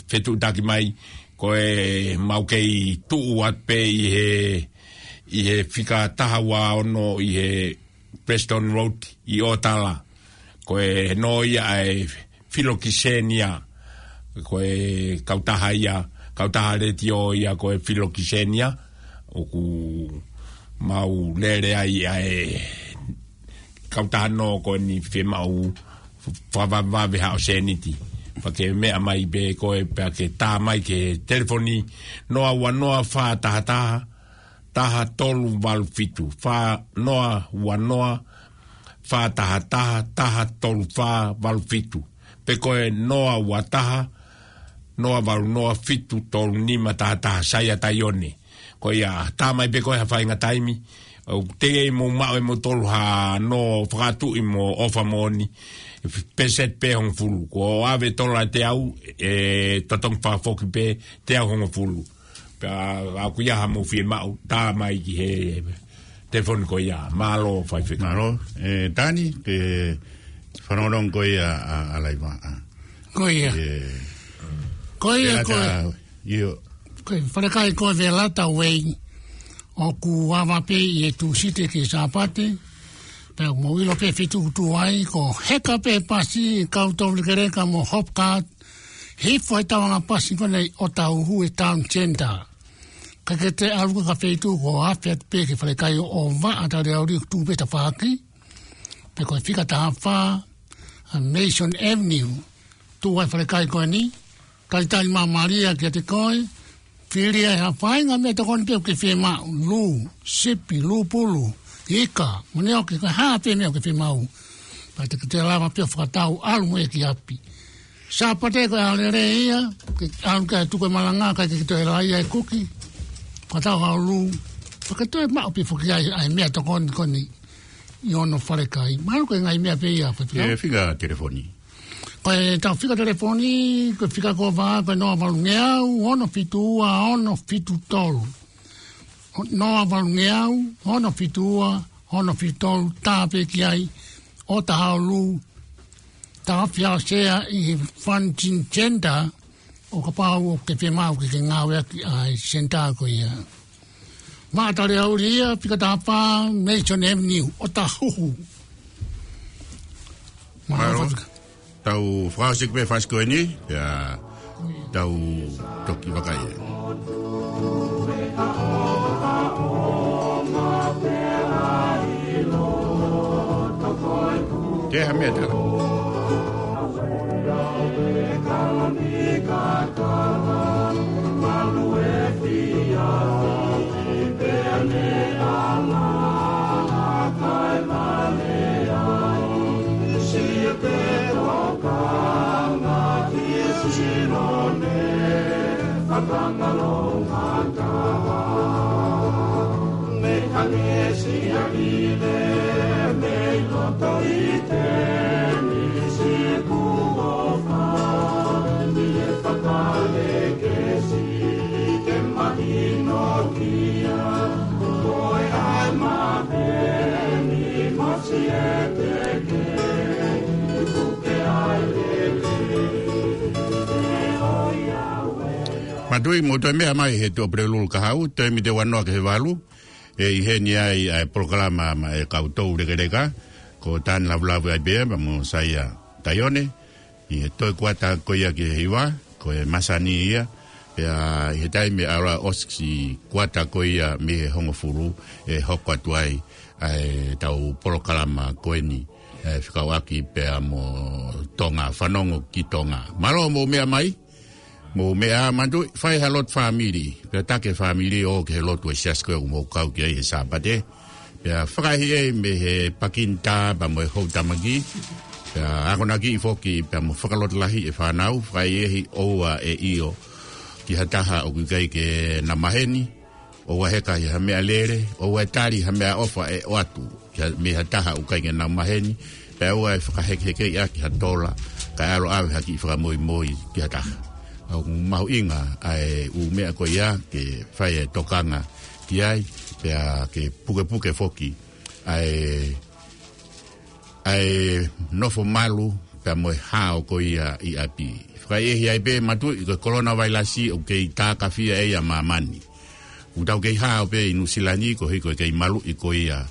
Fetuʻutaki mai, ko e mau kei tuʻu atu pē ʻi he, ʻi he fika taha ua ono ʻi he Preston Road ʻi ʻOtala. Ko e nō ia ʻa e Filokisenia. Ko e kautaha ia, kautaha letiō ia ko e Filokisenia. ʻOku mau lele ai ʻa e kautaha nō ko eni fiemaʻu fakavavevave haʻo sēniti. Pea ke meʻa mai pē koe pea ke tā mai ki he telefoni noa ua noa fā taha taha, taha tolu valu fitu, fā noa ua noa, fā taha taha, taha tolu fā valu fitu. Pe ko e noa ua taha, noa valu noa fitu tolu nima taha taha, Saia Taione. Ko ia, tā mai pē ko e ha faʻahinga taimi. ʻOku teʻeki ai mo maʻu ʻe moutolu ha nō fakatuʻi mo ʻofa moʻoni. Pēseti pē hongofulu. Ko ʻave tola teau, ʻe totongi fakafoki pē teau hongofulu. Pea ʻoku ʻi ai haʻamou fiemaʻu, tā mai ki he telefoni ko ia. Mālō faifekau. Mālō, ʻe Tani, ke fanongonongo ko ia ʻa, ʻa Laiva, ʻa. Ko ia. ʻE, Ko ia, ʻe ko e. Lata, ʻio. Ko e falekai ko e Velata Way. ʻOku ava pē ʻi he Tūsite ki he Sāpate. Pea mou ʻilo pē feituʻu tuai, ko e heka pē pasi, kau tau lekeleka mo Hopcard. Hifo he tauʻanga pasi ko eni ʻo Taʻuhu he Town Centre. Ka ke te ʻalu ki ha feituʻu ko ē ʻoku ʻafe atu pē ki he falekai ʻo, ʻo Vaʻa Taliauli ʻoku tuʻu pē tafaʻaki. Pe ko e fika taha fā, ʻa Mason Avenue. Tuʻu ai falekai ko eni. Talitali māmālie kiate koe. Fili ai ha faʻahinga meʻatokoni pē ʻoku ke fiemaʻu, lū, sipi, lūpulu, ika, mo ne ʻoku ke hā pē meʻa ʻoku ke fiemaʻu. Pea te ke toe lava pē ʻo fakatau ʻalu mo ia ki ʻapi. Sāpate ko e ʻaho lelei ia, ke ʻalu ke tuku e malanga, kae ke toe lava ia e kuki. Fakatau ha lū, pea ke toe maʻu pē foki ai, ʻa e meʻatokoni ko eni ʻi hono falekai. Mahalo ko e ngaahi meʻa pē ia, faifekau. ʻE fika telefoni. Ko e tau fika telefoni, ko e fika ko ē, ko e noa valu ngeau, ono fitu ua, ono fitu tolu. Noa valu ngeau, ono fitu ua, ono fitu tolu, tā pē ki ai, ʻo tā ha lū, tā fia sea ʻi he Fun Chin Centre, ʻo kapau ʻoku ke fiemaʻu ke ke ngāueʻaki ʻa e senitā ko ia. Vaʻa Taliauli ia, fika taha fā, Mason Avenue, ʻo Taʻuhu. Mālō. Mālō. Tau fakaʻosi pē fasi ko eni, pea tau toki vakai. Ke ha meʻa tala. Mātuʻa, mou toe meʻa mai he Tuʻapulelulu kahaʻu, taimi ʻe ua noa ki he valu, ʻe ʻi heni ai ʻa e polokalama maʻa e kau toulekeleka, ko Tani Lavulavu ai pē ia, pea mo Saia Taione, ʻi he toe kuata ko ia ki he hiva, ko e masani ia, pea ʻi he taimi ʻe ʻalu ʻosi kuata ko ia mei he hongofulu ʻe hoko atu ai, ʻa e tau polokalama ko eni, ʻe fekauʻaki pea mo Tonga, Fanongo ki Tonga. Mālō mou meʻa mai, mou meʻa mātuʻa, fai ha lotu fāmili, pea taki e fāmili ʻo ō ki he lotu ʻa e siasi ko ē ʻoku mou kau ki ai he Sāpate. Pea fakaʻehiʻehi mei he pakinitā pea mo e houtamaki. Pea akonakiʻi foki pea mo fakalotolahiʻi e fānau, fakaʻehiʻehi ʻoua ʻe ʻio ki ha taha ʻoku ʻikai ke na maheni, ʻoua ʻe heka ʻi ha meʻalele, ʻoua ʻe tali ha meʻaʻofa ʻe ʻoatu ki ha, mei ha taha ʻoku ʻikai ke na maheni, pea ʻoua ʻe fakahekehekeʻi ʻaki ha tola, kae ʻalu ʻo ʻave ha kiʻi fakamoimoi ki ha taha. ʻOku mahuʻinga ʻa e ʻū meʻa ko ia ke fai e tokanga ki ai, pea ke pukepuke foki ʻa e, ʻa e nofo malu pea mo e hao ko ia ʻi ʻapi. Fakaʻehiʻehi ai pē mātuʻa, ko e kolona vailasi ʻoku kei tākafia ʻe ia ʻa māmani. ʻOku tau kei hao pē ʻi Nuʻusila ni koeʻuhi ko e kei maluʻi ko ia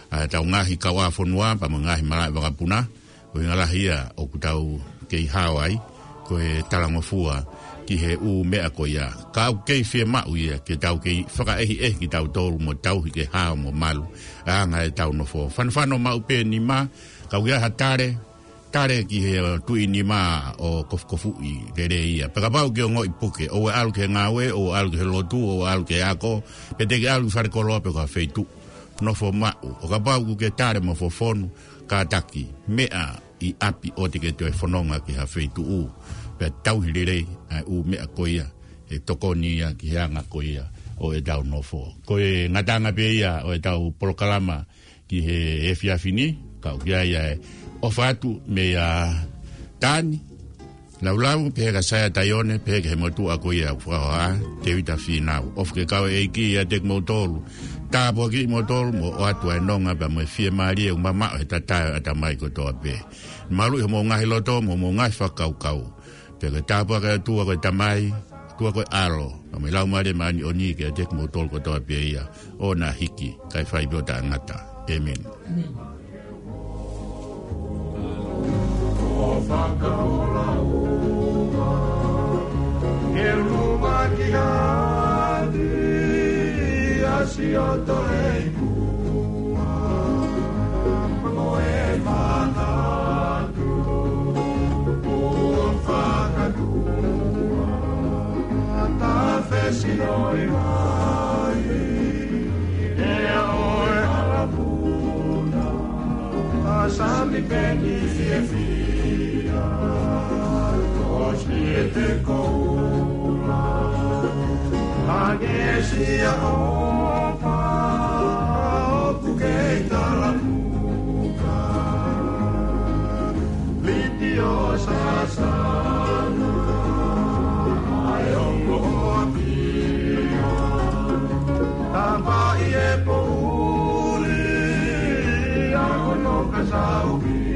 ʻa e tau ngaahi kauʻāfonua pea mo e ngaahi malaʻe vakapuna. Ko e ʻuhinga lahi ia ʻoku tau kei hao ai, ko e talangofua ki he ʻū meʻa ko ia. Ka ʻoku kei fiemaʻu ia ke tau kei fakaʻehiʻehi kitautolu mo tauhi ke hao mo malu ʻa e anga e tau nofo. Fanofano maʻu pē nima, ka ʻoku ʻi ai ha tale, tale ki he tuʻi nima ʻo kofukofuʻi lelei ia. Pea kapau ke ongoʻi puke, ʻoua ʻe ʻalu ki he ngāue, ʻoua ʻe ʻalu ki he lotu, ʻoua ʻe ʻalu ki he ako, pe te ke ʻalu ki falekoloa pe ko ha feituʻu. Nofo maʻu, ʻo kapau ʻoku ke tale mo fofonu, kātaki, meʻa ʻi ʻapi ʻoua te ke toe fononga ki ha feituʻu. pea tauhi lelei ʻa e ʻū meʻa ko ia, ʻe tokoni ia ki he anga ko ia ʻo ʻetau nofo. Ko e ngataʻanga pē ia ʻo ʻetau polokalama ki he efiafi ni, ka ʻoku ʻi ai ʻa e ʻofa atu meia Tani Laulau, pehē kia Saia Taione, pehē ki he motuʻa ko ia ʻoku fakahoha, Tēvita Fīnau. ʻOfa ke kau e ʻEiki ʻiate kimoutolu. Tāpuakiʻi kimoutolu, mo ʻoatu ʻa e nonga pea mo e fiemālie ʻoku mamaʻo he tatae ʻo e ʻatamai kotoa pē. Maluʻi homou ngaahi loto, mo homou ngaahi fakakaukau. Pea ke tāpuakiʻi ʻa e ʻOtua ko e Tamai, ʻOtua ko e ʻAlo, pea mo e Laumālie Māʻoniʻoni ke ʻiate kimoutolu kotoa pē ia, ʻo na hiki, kae fai pē ʻo taʻengata. ʻĒmeni. Ko Fakaola ua, ke luma ki hati, ʻa Sioto Leikua, mo e fakaʻatu, ʻo fakatua, ta fesi ʻo e vai, ʻe ʻo e hala puna, ʻa Sami Peni fiefia, ko Siete Koula, Angesia ʻOfa, ʻoku kei talamuka, Liti ʻo Sasana, ʻa e ongo ʻo Apia, Tamaʻi e Poʻuli, ʻa Hono Kasauki.